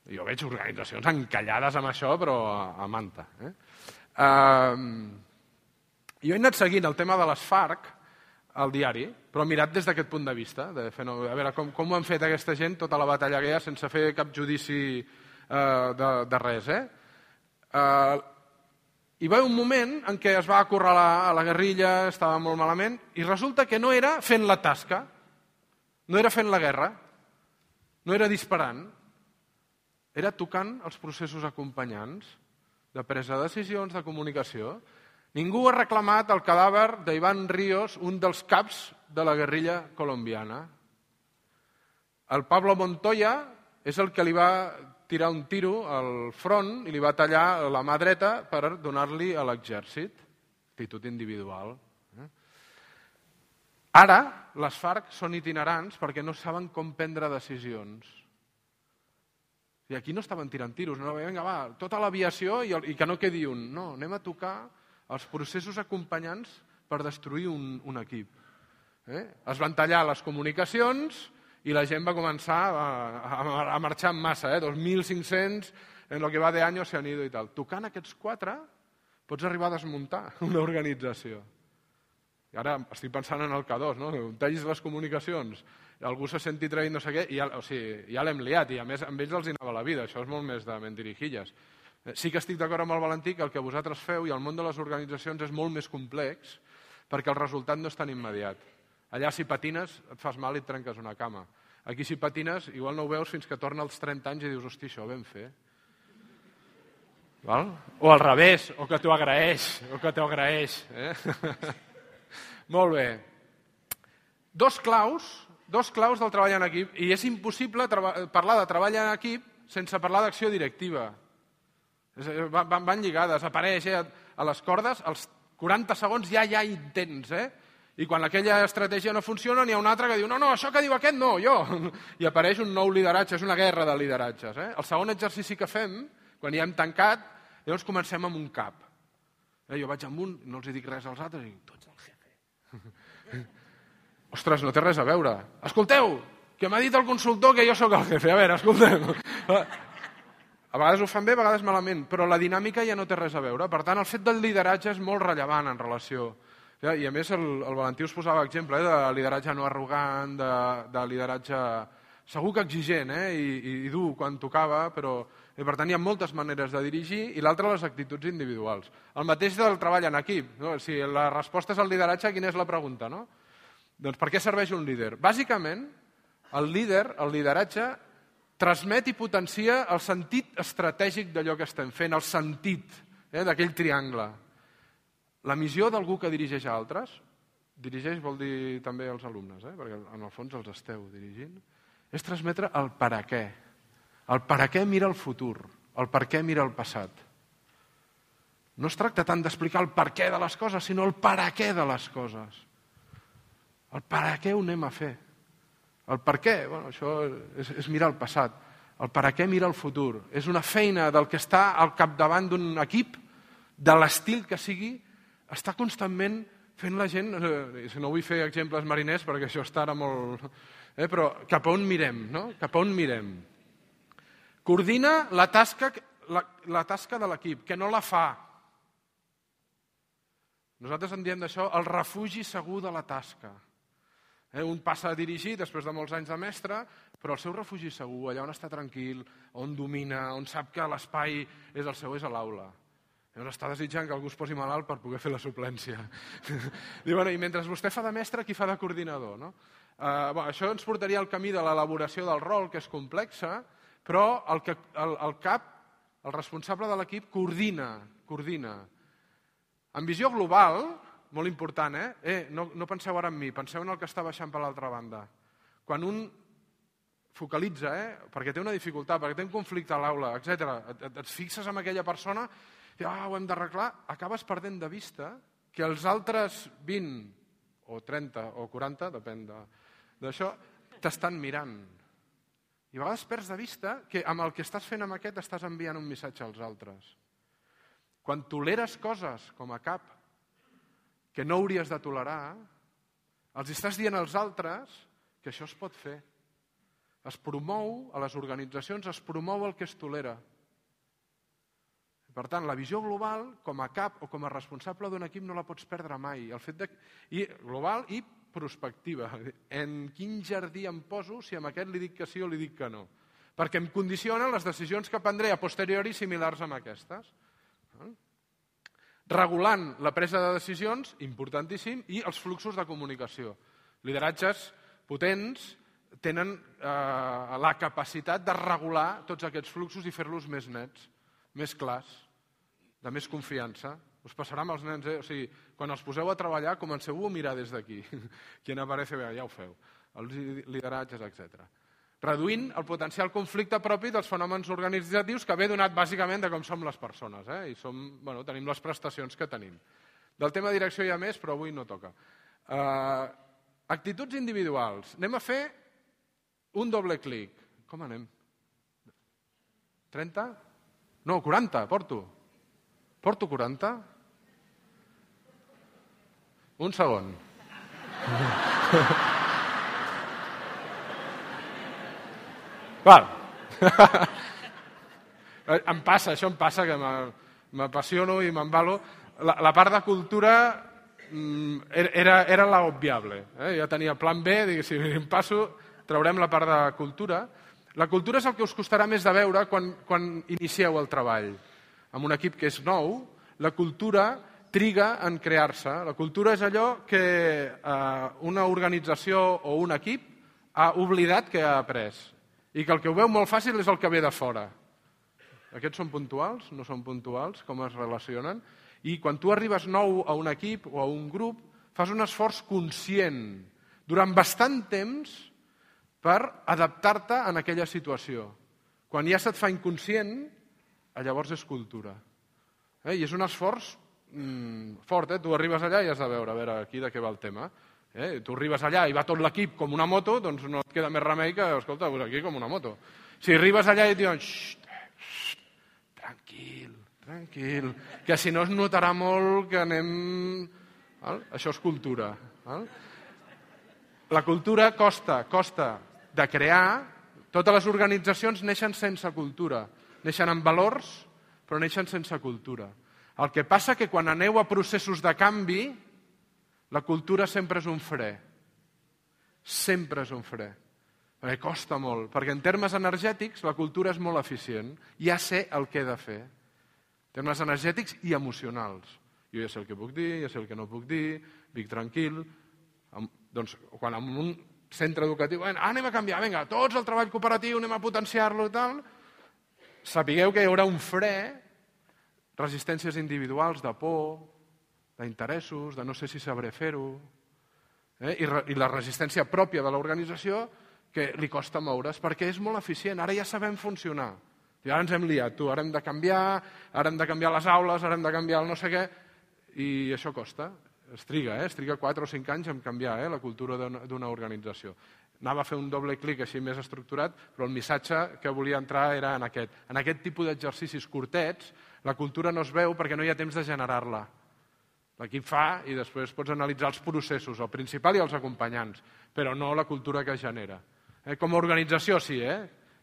Jo veig organitzacions encallades amb això, però a manta. Jo he anat seguint el tema de les FARC al diari, però mirat des d'aquest punt de vista, a veure com ho han fet aquesta gent, tota la batalla aquella, sense fer cap judici de res. Hi va haver un moment en què es va acorralar a la guerrilla, estava molt malament, i resulta que no era fent la tasca, no era fent la guerra, no era disparant, era tocant els processos acompanyants de presa de decisions, de comunicació. Ningú ha reclamat el cadàver d'Iván Ríos, un dels caps de la guerrilla colombiana. El Pablo Montoya és el que li va tirar un tiro al front i li va tallar la mà dreta per donar-li a l'exèrcit. Actitud individual. Ara, les FARC són itinerants perquè no saben com prendre decisions. I aquí no estaven tirant tiros, no, vinga, va, tota l'aviació i que no quedi un. No, anem a tocar els processos acompanyants per destruir un equip. Es van tallar les comunicacions i la gent va començar a marxar en massa, 2.500 en lo que va de año se han ido i tal. Tocant aquests 4 pots arribar a desmuntar una organització. I ara estic pensant en el K2, no? Tallis les comunicacions, algú se senti traït no sé què, i ja l'hem liat, i a més amb ells els hi anava la vida, això és molt més de mentirijilles. Sí que estic d'acord amb el Valentí que el que vosaltres feu i el món de les organitzacions és molt més complex perquè el resultat no és tan immediat. Allà si patines et fas mal i et trenques una cama. Aquí si patines igual no ho veus fins que torna als 30 anys i dius, hosti, això ho vam fer. Val? O al revés, o que t'ho agraeix. Molt bé. Dos claus del treball en equip, i és impossible parlar de treball en equip sense parlar d'acció directiva. Van lligades, apareix a les cordes, als 40 segons ja hi intents, i quan aquella estratègia no funciona n'hi ha una altra que diu no, això que diu aquest no, jo, i apareix un nou lideratge, és una guerra de lideratges. El segon exercici que fem, quan ja hem tancat, llavors comencem amb un cap. Jo vaig amb un, no els dic res als altres, i dic, tu ets el jefe. Ostres, no té res a veure. Escolteu, que m'ha dit el consultor que jo sóc el jefe. A veure, escolteu. A vegades ho fan bé, a vegades malament, però la dinàmica ja no té res a veure. Per tant, el fet del lideratge és molt rellevant en relació. I a més, el Valentí us posava exemple de lideratge no arrogant, de lideratge segur que exigent i dur quan tocava, però per tant hi ha moltes maneres de dirigir, i l'altra les actituds individuals. El mateix del treball en equip. Si la resposta és el lideratge, quina és la pregunta? Doncs per què serveix un líder? Bàsicament, el lideratge transmet i potencia el sentit estratègic d'allò que estem fent, el sentit d'aquell triangle. La missió d'algú que dirigeix a altres, dirigeix vol dir també als alumnes, perquè en el fons els esteu dirigint, és transmetre el per a què. El per a què mira el futur, el per què mira el passat. No es tracta tant d'explicar el per què de les coses, sinó el per a què de les coses. El per a què ho anem a fer. El per què, això és mirar el passat. El per a què mira el futur. És una feina del que està al capdavant d'un equip, de l'estil que sigui, està constantment fent la gent, si no vull fer exemples mariners perquè això està ara molt... però cap a on mirem, no? Cap a on mirem. Coordina la tasca de l'equip, que no la fa. Nosaltres en diem d'això el refugi segur de la tasca. Un passa a dirigir després de molts anys de mestre, però el seu refugi segur, allà on està tranquil, on domina, on sap que l'espai és el seu, és a l'aula. Llavors està desitjant que algú es posi malalt per poder fer la suplència. I mentre vostè fa de mestre, qui fa de coordinador? No? Això ens portaria al camí de l'elaboració del rol, que és complexa, però el cap, el responsable de l'equip, coordina. En visió global, molt important, no penseu ara en mi, penseu en el que està baixant per l'altra banda. Quan un focalitza, perquè té una dificultat, perquè té un conflicte a l'aula, etc., et fixes en aquella persona, ho hem d'arreglar, acabes perdent de vista que els altres 20 o 30 o 40, depèn d'això, t'estan mirant. I a vegades perds de vista que amb el que estàs fent amb aquest estàs enviant un missatge als altres. Quan toleres coses com a cap que no hauries de tolerar, els estàs dient als altres que això es pot fer. Es promou, a les organitzacions es promou el que es tolera. Per tant, la visió global, com a cap o com a responsable d'un equip, no la pots perdre mai. Global i prospectiva. En quin jardí em poso si amb aquest li dic que sí o li dic que no? Perquè em condicionen les decisions que prendré a posteriori similars amb aquestes. Regulant la presa de decisions, importantíssim, i els fluxos de comunicació. Lideratges potents tenen la capacitat de regular tots aquests fluxos i fer-los més nets, més clars, de més confiança. Us passarà amb els nens, O sigui, quan els poseu a treballar, comenceu a mirar des d'aquí. Quien aparece, ja ho feu. Els lideratges, etc. Reduint el potencial conflicte propi dels fenòmens organitzatius que ve donat bàsicament de com som les persones. I tenim les prestacions que tenim. Del tema direcció hi ha més, però avui no toca. Actituds individuals. Anem a fer un doble clic. Com anem? 30? No, 40, porto. Porto 40? Un segon. Val. Això em passa, que m'apassiono i m'embalo. La part de cultura era l'obviable. Ja tenia plan B, dic, si em passo, traurem la part de cultura. La cultura és el que us costarà més de veure quan inicieu el treball. En un equip que és nou, la cultura triga en crear-se. La cultura és allò que una organització o un equip ha oblidat que ha après. I que el que ho veu molt fàcil és el que ve de fora. Aquests són puntuals? No són puntuals? Com es relacionen? I quan tu arribes nou a un equip o a un grup, fas un esforç conscient durant bastant temps per adaptar-te a aquella situació. Quan ja se't fa inconscient, llavors és cultura. I és un esforç fort. Tu arribes allà i has de veure aquí de què va el tema. Tu arribes allà i va tot l'equip com una moto, doncs no et queda més remei que, escolta, aquí com una moto. Si arribes allà i et diuen tranquil, que si no es notarà molt que anem... Això és cultura. La cultura costa de crear. Totes les organitzacions neixen sense cultura. Neixen amb valors, però neixen sense cultura. El que passa que quan aneu a processos de canvi, la cultura sempre és un fre. Sempre és un fre. Perquè costa molt. Perquè en termes energètics la cultura és molt eficient. Ja sé el que he de fer. En termes energètics i emocionals. Jo ja sé el que puc dir, ja sé el que no puc dir, vic tranquil. Doncs quan en un centre educatiu, anem a canviar, vinga, tots al treball cooperatiu, anem a potenciar-lo i tal, sapigueu que hi haurà un fre, resistències individuals de por, d'interessos, de no sé si sabré fer-ho, i la resistència pròpia de l'organització que li costa moure's, perquè és molt eficient, ara ja sabem funcionar. I ara ens hem liat, ara hem de canviar les aules, ara hem de canviar el no sé què, i això costa. Es triga 4 o 5 anys en canviar la cultura d'una organització. Anava a fer un doble clic així més estructurat, però el missatge que volia entrar era en aquest. En aquest tipus d'exercicis curtets, la cultura no es veu perquè no hi ha temps de generar-la. L'equip fa i després pots analitzar els processos, el principal i els acompanyants, però no la cultura que es genera. Com a organització sí,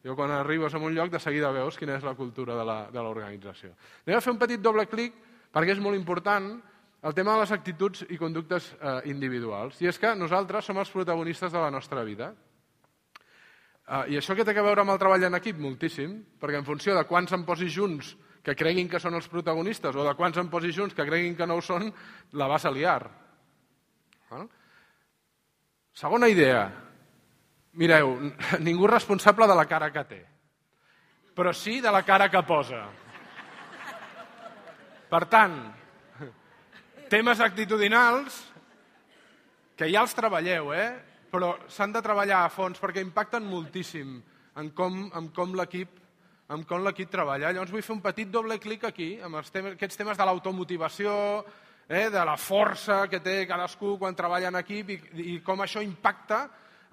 Jo quan arribes a un lloc de seguida veus quina és la cultura de l'organització. Anem a fer un petit doble clic perquè és molt important el tema de les actituds i conductes individuals. I és que nosaltres som els protagonistes de la nostra vida. I això què té a veure amb el treball en equip? Moltíssim, perquè en funció de quants em posis junts que creguin que són els protagonistes o de quants em posis junts que creguin que no ho són, la vas a liar. Segona idea. Mireu, ningú és responsable de la cara que té, però sí de la cara que posa. Per tant, temes actitudinals que ja els treballeu, però s'han de treballar a fons perquè impacten moltíssim en com l'equip treballa. Llavors vull fer un petit doble clic aquí, amb aquests temes de l'automotivació, de la força que té cadascú quan treballa en equip i com això impacta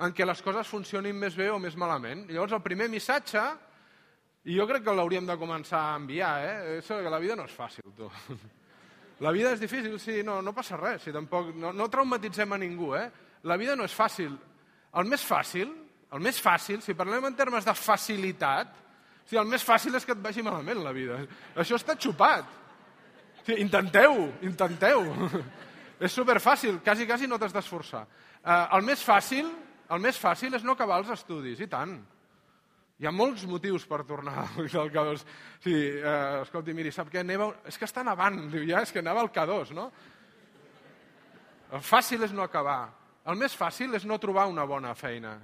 en què les coses funcionin més bé o més malament. Llavors, el primer missatge, i jo crec que l'hauríem de començar a enviar, és que la vida no és fàcil, tu. La vida és difícil, sí, no passa res, si tampoc, no traumatitzem a ningú, La vida no és fàcil. El més fàcil, si parlem en termes de facilitat, el més fàcil és que et vagi malament la vida. Això està xupat. Intenteu. És superfàcil, quasi no t'has d'esforçar. El més fàcil és no acabar els estudis, i tant. Hi ha molts motius per tornar al K2. Escolti, miri, sap què? És que està nevant, diu, ja, és que neva al K2, no? El fàcil és no acabar. El més fàcil és no trobar una bona feina.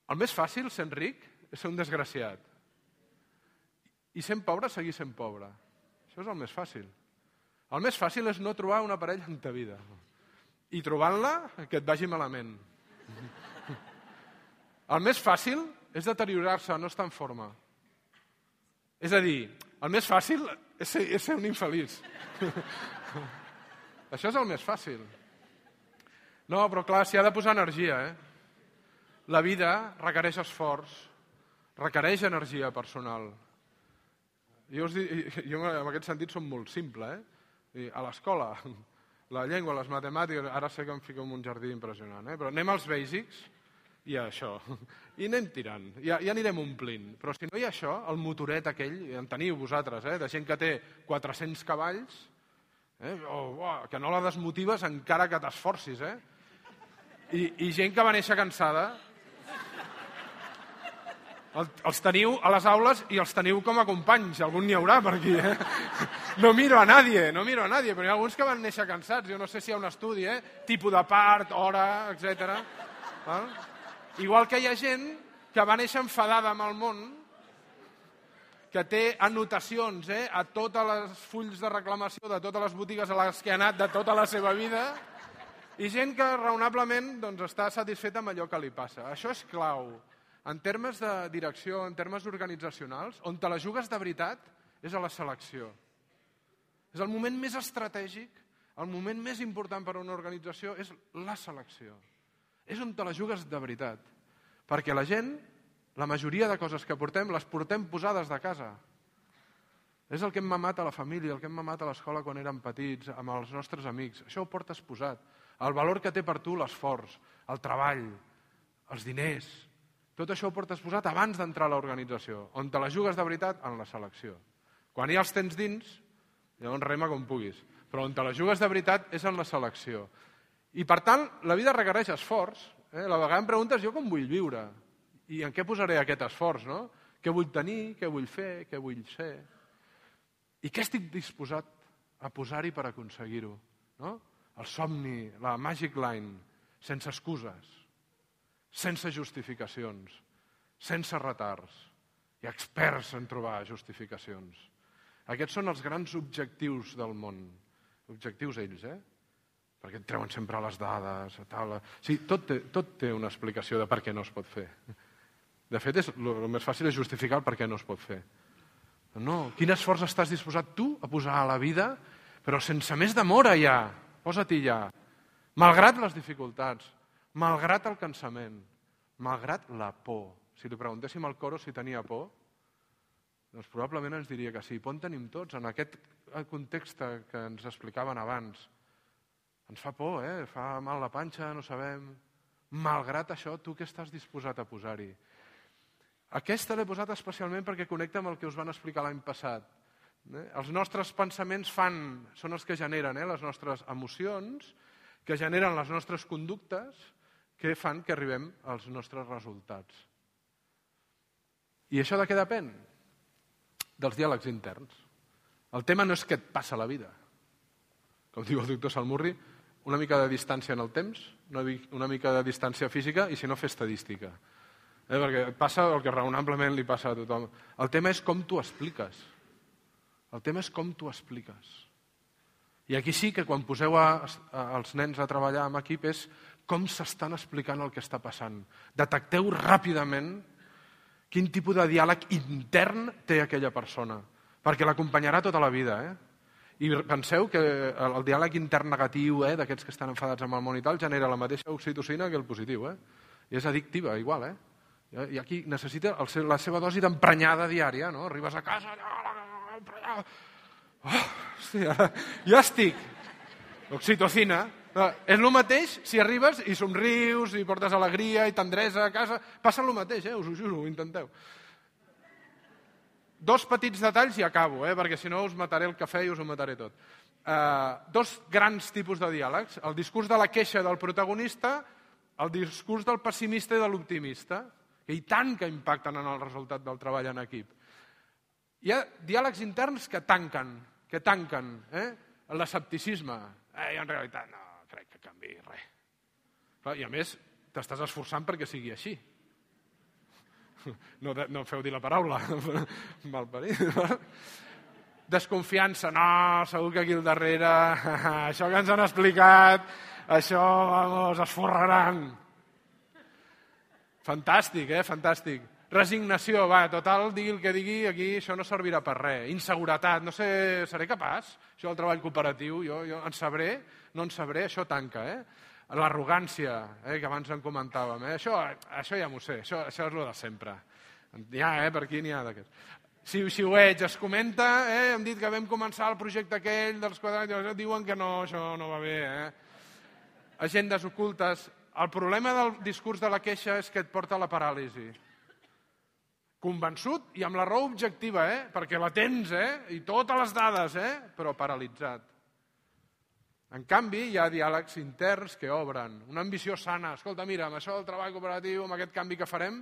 El més fàcil, sent ric, és ser un desgraciat. I sent pobre, seguir sent pobre. Això és el més fàcil. El més fàcil és no trobar una parella en ta vida. I trobant-la, que et vagi malament. El més fàcil és deteriorar-se, no estar en forma. És a dir, el més fàcil és ser un infeliç. Això és el més fàcil. No, però clar, s'hi ha de posar energia, La vida requereix esforç, requereix energia personal. Jo en aquest sentit som molt simple, A l'escola, la llengua, les matemàtiques, ara sé que em fico en un jardí impressionant, però anem als bàsics i a això. I anem tirant, ja anirem omplint. Però si no hi ha això, el motoret aquell, en teniu vosaltres, de gent que té 400 cavalls, que no la desmotives encara que t'esforcis, I gent que va néixer cansada, els teniu a les aules i els teniu com a companys, algun n'hi haurà per aquí, No miro a nadie, però hi ha alguns que van néixer cansats, jo no sé si hi ha un estudi, tipus de part, hora, etc. Igual que hi ha gent que va néixer enfadada amb el món, que té anotacions a totes les fulls de reclamació de totes les botigues a les que ha anat de tota la seva vida, i gent que raonablement està satisfeta amb allò que li passa. Això és clau. En termes de direcció, en termes organitzacionals, on te la jugues de veritat és a la selecció. És el moment més estratègic, el moment més important per a una organització és la selecció. És on te la jugues de veritat. Perquè la gent, la majoria de coses que portem, les portem posades de casa. És el que hem mamat a la família, el que hem mamat a l'escola quan érem petits, amb els nostres amics. Això ho portes posat. El valor que té per tu l'esforç, el treball, els diners. Tot això ho portes posat abans d'entrar a l'organització. On te la jugues de veritat? En la selecció. Quan ja els tens dins, llavors rema com puguis. Però on te la jugues de veritat és en la selecció. I per tant, la vida requereix esforç. La vegada em preguntes jo com vull viure. I en què posaré aquest esforç, no? Què vull tenir, què vull fer, què vull ser. I què estic disposat a posar-hi per aconseguir-ho? No? El somni, la magic line. sense excuses, sense justificacions, sense retards. Hi ha experts en trobar justificacions. Aquests són els grans objectius del món. Objectius ells, perquè et treuen sempre les dades, tal. Sí, tot té una explicació de per què no es pot fer. De fet, el més fàcil és justificar el per què no es pot fer. No, quin esforç estàs disposat tu a posar a la vida, però sense més demora ja, posa-t'hi ja. Malgrat les dificultats, malgrat el cansament, malgrat la por. Si li preguntéssim al coro si tenia por, doncs probablement ens diria que sí. Por en tenim tots, en aquest context que ens explicaven abans. Ens fa por, fa mal la panxa, no sabem. Malgrat això, tu què estàs disposat a posar-hi? Aquesta l'he posat especialment perquè connecta amb el que us van explicar l'any passat. Els nostres pensaments són els que generen les nostres emocions, que generen les nostres conductes, que fan que arribem als nostres resultats. I això de què depèn? Dels diàlegs interns. El tema no és què et passa a la vida. Com diu el doctor Salmurri, una mica de distància en el temps, una mica de distància física i si no fer estadística. Perquè passa el que raonablement li passa a tothom. El tema és com t'ho expliques. El tema és com t'ho expliques. I aquí sí que quan poseu els nens a treballar en equip és com s'estan explicant el que està passant. Detecteu ràpidament quin tipus de diàleg intern té aquella persona, perquè l'acompanyarà tota la vida. I penseu que el diàleg intern negatiu d'aquests que estan enfadats amb el món i tal genera la mateixa oxitocina que el positiu. I és addictiva, igual. I aquí necessita la seva dosi d'emprenyada diària, no? Arribes a casa, ja estic. Oxitocina. És el mateix si arribes i somrius, i portes alegria i tendresa a casa. Passa el mateix, us ho juro, ho intenteu. 2 petits detalls i acabo, perquè si no us mataré el cafè i us ho mataré tot. 2 grans tipus de diàlegs. El discurs de la queixa del protagonista, el discurs del pessimista i de l'optimista, i tant que impacten en el resultat del treball en equip. Hi ha diàlegs interns que tanquen l'escepticisme. Jo en realitat no crec que canviï res. I a més, t'estàs esforçant perquè sigui així. No feu dir la paraula. Malparit. Desconfiança. No, segur que aquí al darrere, això que ens han explicat, això, vamos, es forraran. Fantàstic, fantàstic. Resignació, total, digui el que digui, aquí això no servirà per res. Inseguretat, no sé, seré capaç? Això del treball cooperatiu, jo en sabré, no en sabré, això tanca, L'arrogància, que abans en comentàvem, això ja m'ho sé, això és el de sempre. Per aquí n'hi ha d'aquests. Xiu-xiueig, es comenta, hem dit que vam començar el projecte aquell dels quadrats, diuen que no, això no va bé, Agendes ocultes. El problema del discurs de la queixa és que et porta a la paràlisi. Convençut i amb la raó objectiva, perquè la tens, i totes les dades, però paralitzat. En canvi, hi ha diàlegs interns que obren. Una ambició sana. Escolta, mira, amb això del treball cooperatiu, amb aquest canvi que farem,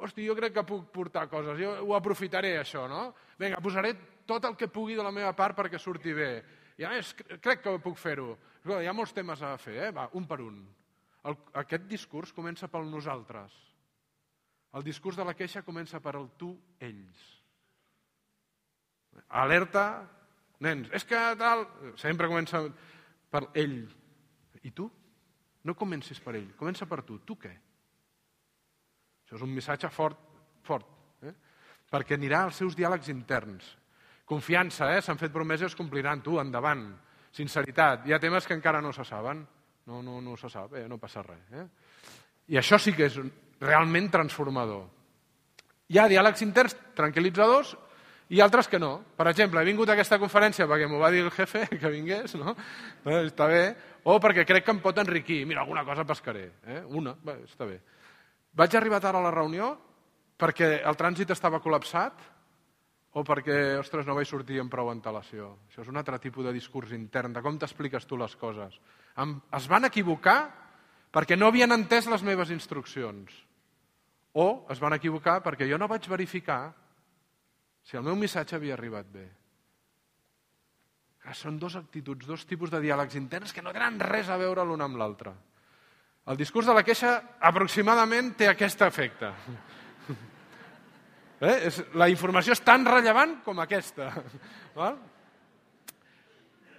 jo crec que puc portar coses, jo ho aprofitaré, això, no? Vinga, posaré tot el que pugui de la meva part perquè surti bé. I a més, crec que puc fer-ho. Hi ha molts temes a fer, va, un per un. Aquest discurs comença pel nosaltres. El discurs de la queixa comença per el tu, ells. Alerta, nens, és que tal... Sempre comença per ell. I tu? No comencis per ell, comença per tu. Tu què? Això és un missatge fort. Perquè anirà als seus diàlegs interns. Confiança, s'han fet promeses, compliran. Tu, endavant. Sinceritat. Hi ha temes que encara no se saben. No se sap, no passa res. I això sí que és realment transformador. Hi ha diàlegs interns tranquil·litzadors i altres que no. Per exemple, he vingut a aquesta conferència perquè m'ho va dir el jefe que vingués, no? Està bé. O perquè crec que em pot enriquir. Mira, alguna cosa pescaré. Una, està bé. Vaig arribar tard a la reunió perquè el trànsit estava col·lapsat o perquè, ostres, no vaig sortir amb prou antelació. Això és un altre tipus de discurs intern, de com t'expliques tu les coses. Es van equivocar perquè no havien entès les meves instruccions. O es van equivocar perquè jo no vaig verificar si el meu missatge havia arribat bé. Són 2 actituds, 2 tipus de diàlegs interns que no tenen res a veure l'un amb l'altre. El discurs de la queixa aproximadament té aquest efecte. La informació és tan rellevant com aquesta.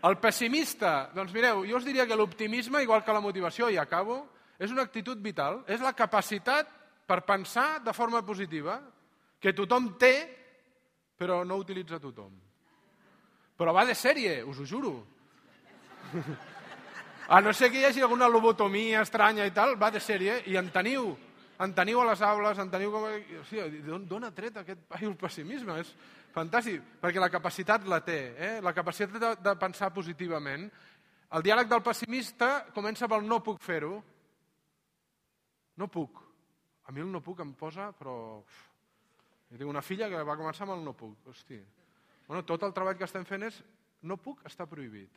El pessimista, doncs mireu, jo us diria que l'optimisme, igual que la motivació, i acabo, és una actitud vital, és la capacitat per pensar de forma positiva, que tothom té, però no utilitza tothom. Però va de sèrie, us ho juro. A no ser que hi hagi alguna lobotomia estranya i tal, va de sèrie, i en teniu a les aules, en teniu com... D'on ha tret aquest paio el pessimisme? És fantàstic, perquè la capacitat la té, la capacitat de pensar positivament. El diàleg del pessimista comença pel no puc fer-ho. No puc. A mi el no puc em posa, però... Jo tinc una filla que va començar amb el no puc. Hosti. Bueno, tot el treball que estem fent és no puc està prohibit.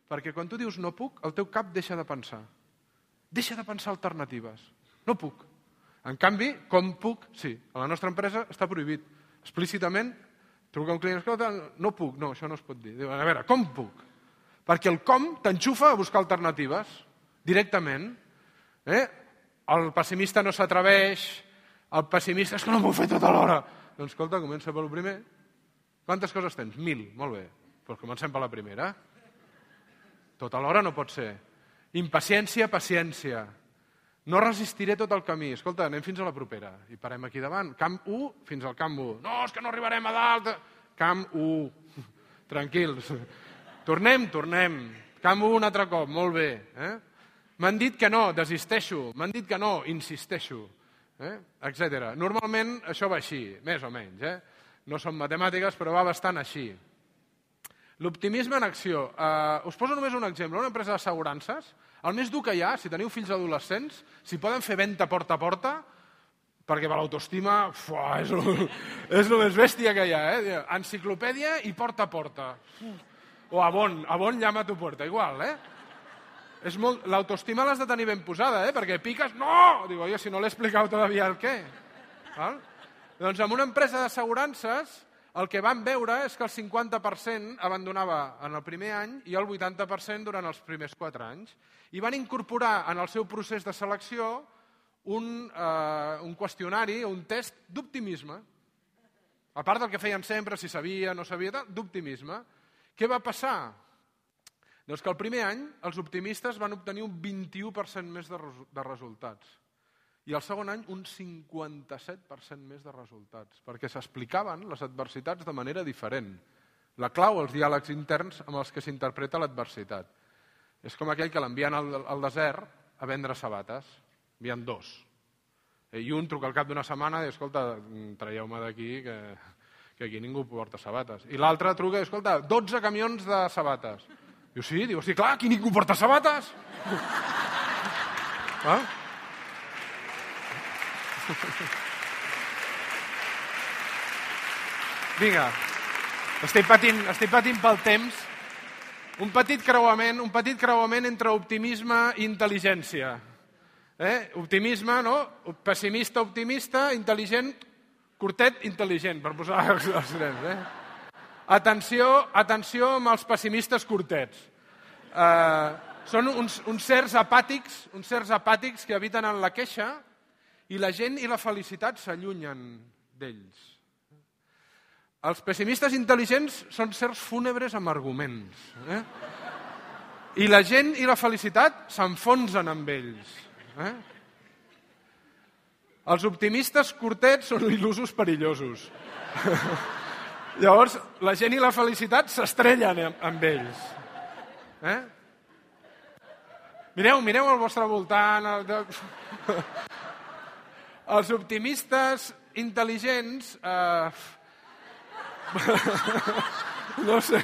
Perquè quan tu dius no puc, el teu cap deixa de pensar. Deixa de pensar alternatives. No puc. En canvi, com puc, sí. A la nostra empresa està prohibit. Explícitament, truca un client, escolta, no puc, no, això no es pot dir. Diu, a veure, com puc? Perquè el com t'enxufa a buscar alternatives, directament. El pessimista no s'atreveix, el pessimista és que no m'ho he fet tota l'hora. Doncs escolta, comença pel primer. Quantes coses tens? 1000, molt bé. Doncs comencem per la primera. Tota l'hora no pot ser. Impaciència, paciència. No resistiré tot el camí. Escolta, anem fins a la propera. I parem aquí davant. Camp 1 fins al camp 1. No, és que no arribarem a dalt. Camp 1. Tranquils. Tornem. Camp 1 un altre cop. Molt bé. M'han dit que no, desisteixo. M'han dit que no, insisteixo. Etcètera. Normalment això va així, més o menys. No són matemàtiques, però va bastant així. L'optimisme en acció. Us poso només un exemple. Una empresa d'assegurances, el més dur que hi ha, si teniu fills adolescents, si poden fer venda porta a porta, perquè per l'autoestima és el més bèstia que hi ha. Enciclopèdia i porta a porta. O Avon llama a tu porta, igual. L'autoestima l'has de tenir ben posada, perquè piques, no! Digo, oye, si no l'he explicat todavía el què. Doncs en una empresa d'assegurances el que vam veure és que el 50% abandonava en el primer any i el 80% durant els primers 4 anys. I van incorporar en el seu procés de selecció un qüestionari, un test d'optimisme. A part del que feien sempre, si sabia, no sabia, d'optimisme. Què va passar? Doncs que el primer any els optimistes van obtenir un 21% més de resultats. I el segon any un 57% més de resultats, perquè s'explicaven les adversitats de manera diferent. La clau, els diàlegs interns amb els que s'interpreta l'adversitat. És com aquell que l'envien al desert a vendre sabates. Envien 2. I un truca al cap d'una setmana i diu, escolta, traieu-me d'aquí que aquí ningú porta sabates. I l'altre truca i diu, escolta, 12 camions de sabates. Diu, sí? Diu, sí, clar, aquí ningú porta sabates. Vinga, estic patint pel temps. Un petit creuament entre optimisme i intel·ligència. Optimisme, no? Pessimista, optimista, intel·ligent, curtet, intel·ligent, per posar els trens. Atenció amb els pessimistes curtets. Són uns certs apàtics que habiten en la queixa i la gent i la felicitat s'allunyen d'ells. Els pessimistes intel·ligents són certs fúnebres amb arguments. I la gent i la felicitat s'enfonsen amb ells. Els optimistes curtets són il·lusos perillosos. Llavors, la gent i la felicitat s'estrellen amb ells. Mireu al vostre voltant. Els optimistes intel·ligents... No sé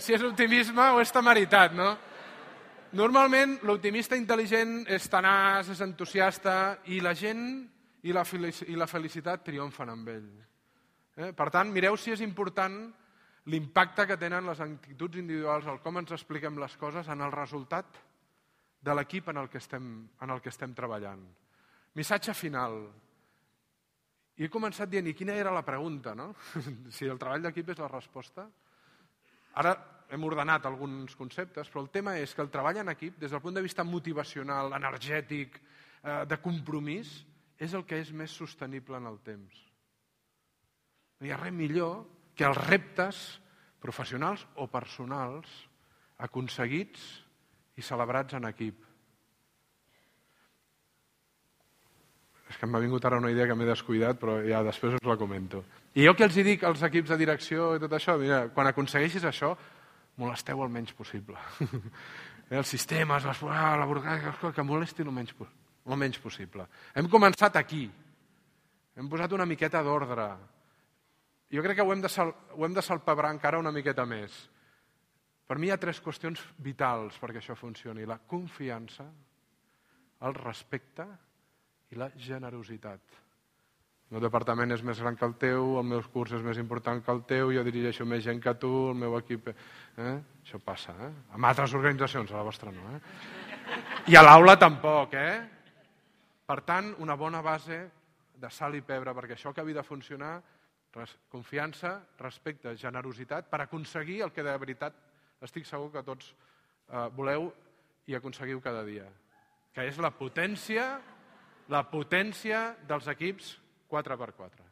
si és optimisme o és temeritat, no? Normalment, l'optimista intel·ligent és tenaç, és entusiasta, i la gent i la felicitat triomfen amb ell. Per tant, mireu si és important l'impacte que tenen les actituds individuals, el com ens expliquem les coses en el resultat de l'equip en el que estem treballant. Missatge final. I he començat dient, i quina era la pregunta, no? Si el treball d'equip és la resposta. Ara hem ordenat alguns conceptes, però el tema és que el treball en equip, des del punt de vista motivacional, energètic, de compromís, és el que és més sostenible en el temps. No hi ha res millor que els reptes professionals o personals aconseguits i celebrats en equip. És que m'ha vingut ara una idea que m'he descuidat, però ja després us la comento. I jo que els dic als equips de direcció i tot això, mira, quan aconsegueixis això, molesteu el menys possible. Els sistemes, la burocràcia, que molesti el menys possible. Hem començat aquí. Hem posat una miqueta d'ordre. Jo crec que ho hem de salpebrar encara una miqueta més. Per mi hi ha 3 qüestions vitals perquè això funcioni. La confiança, el respecte i la generositat. El meu departament és més gran que el teu, el meu curs és més important que el teu, jo dirigeixo més gent que tu, el meu equip... Això passa, Amb altres organitzacions, a la vostra no, I a l'aula tampoc, Per tant, una bona base de sal i pebre, perquè això acabi de funcionar, confiança, respecte, generositat, per aconseguir el que de veritat estic segur que tots voleu i aconseguiu cada dia, que és la potència dels equips 4x4.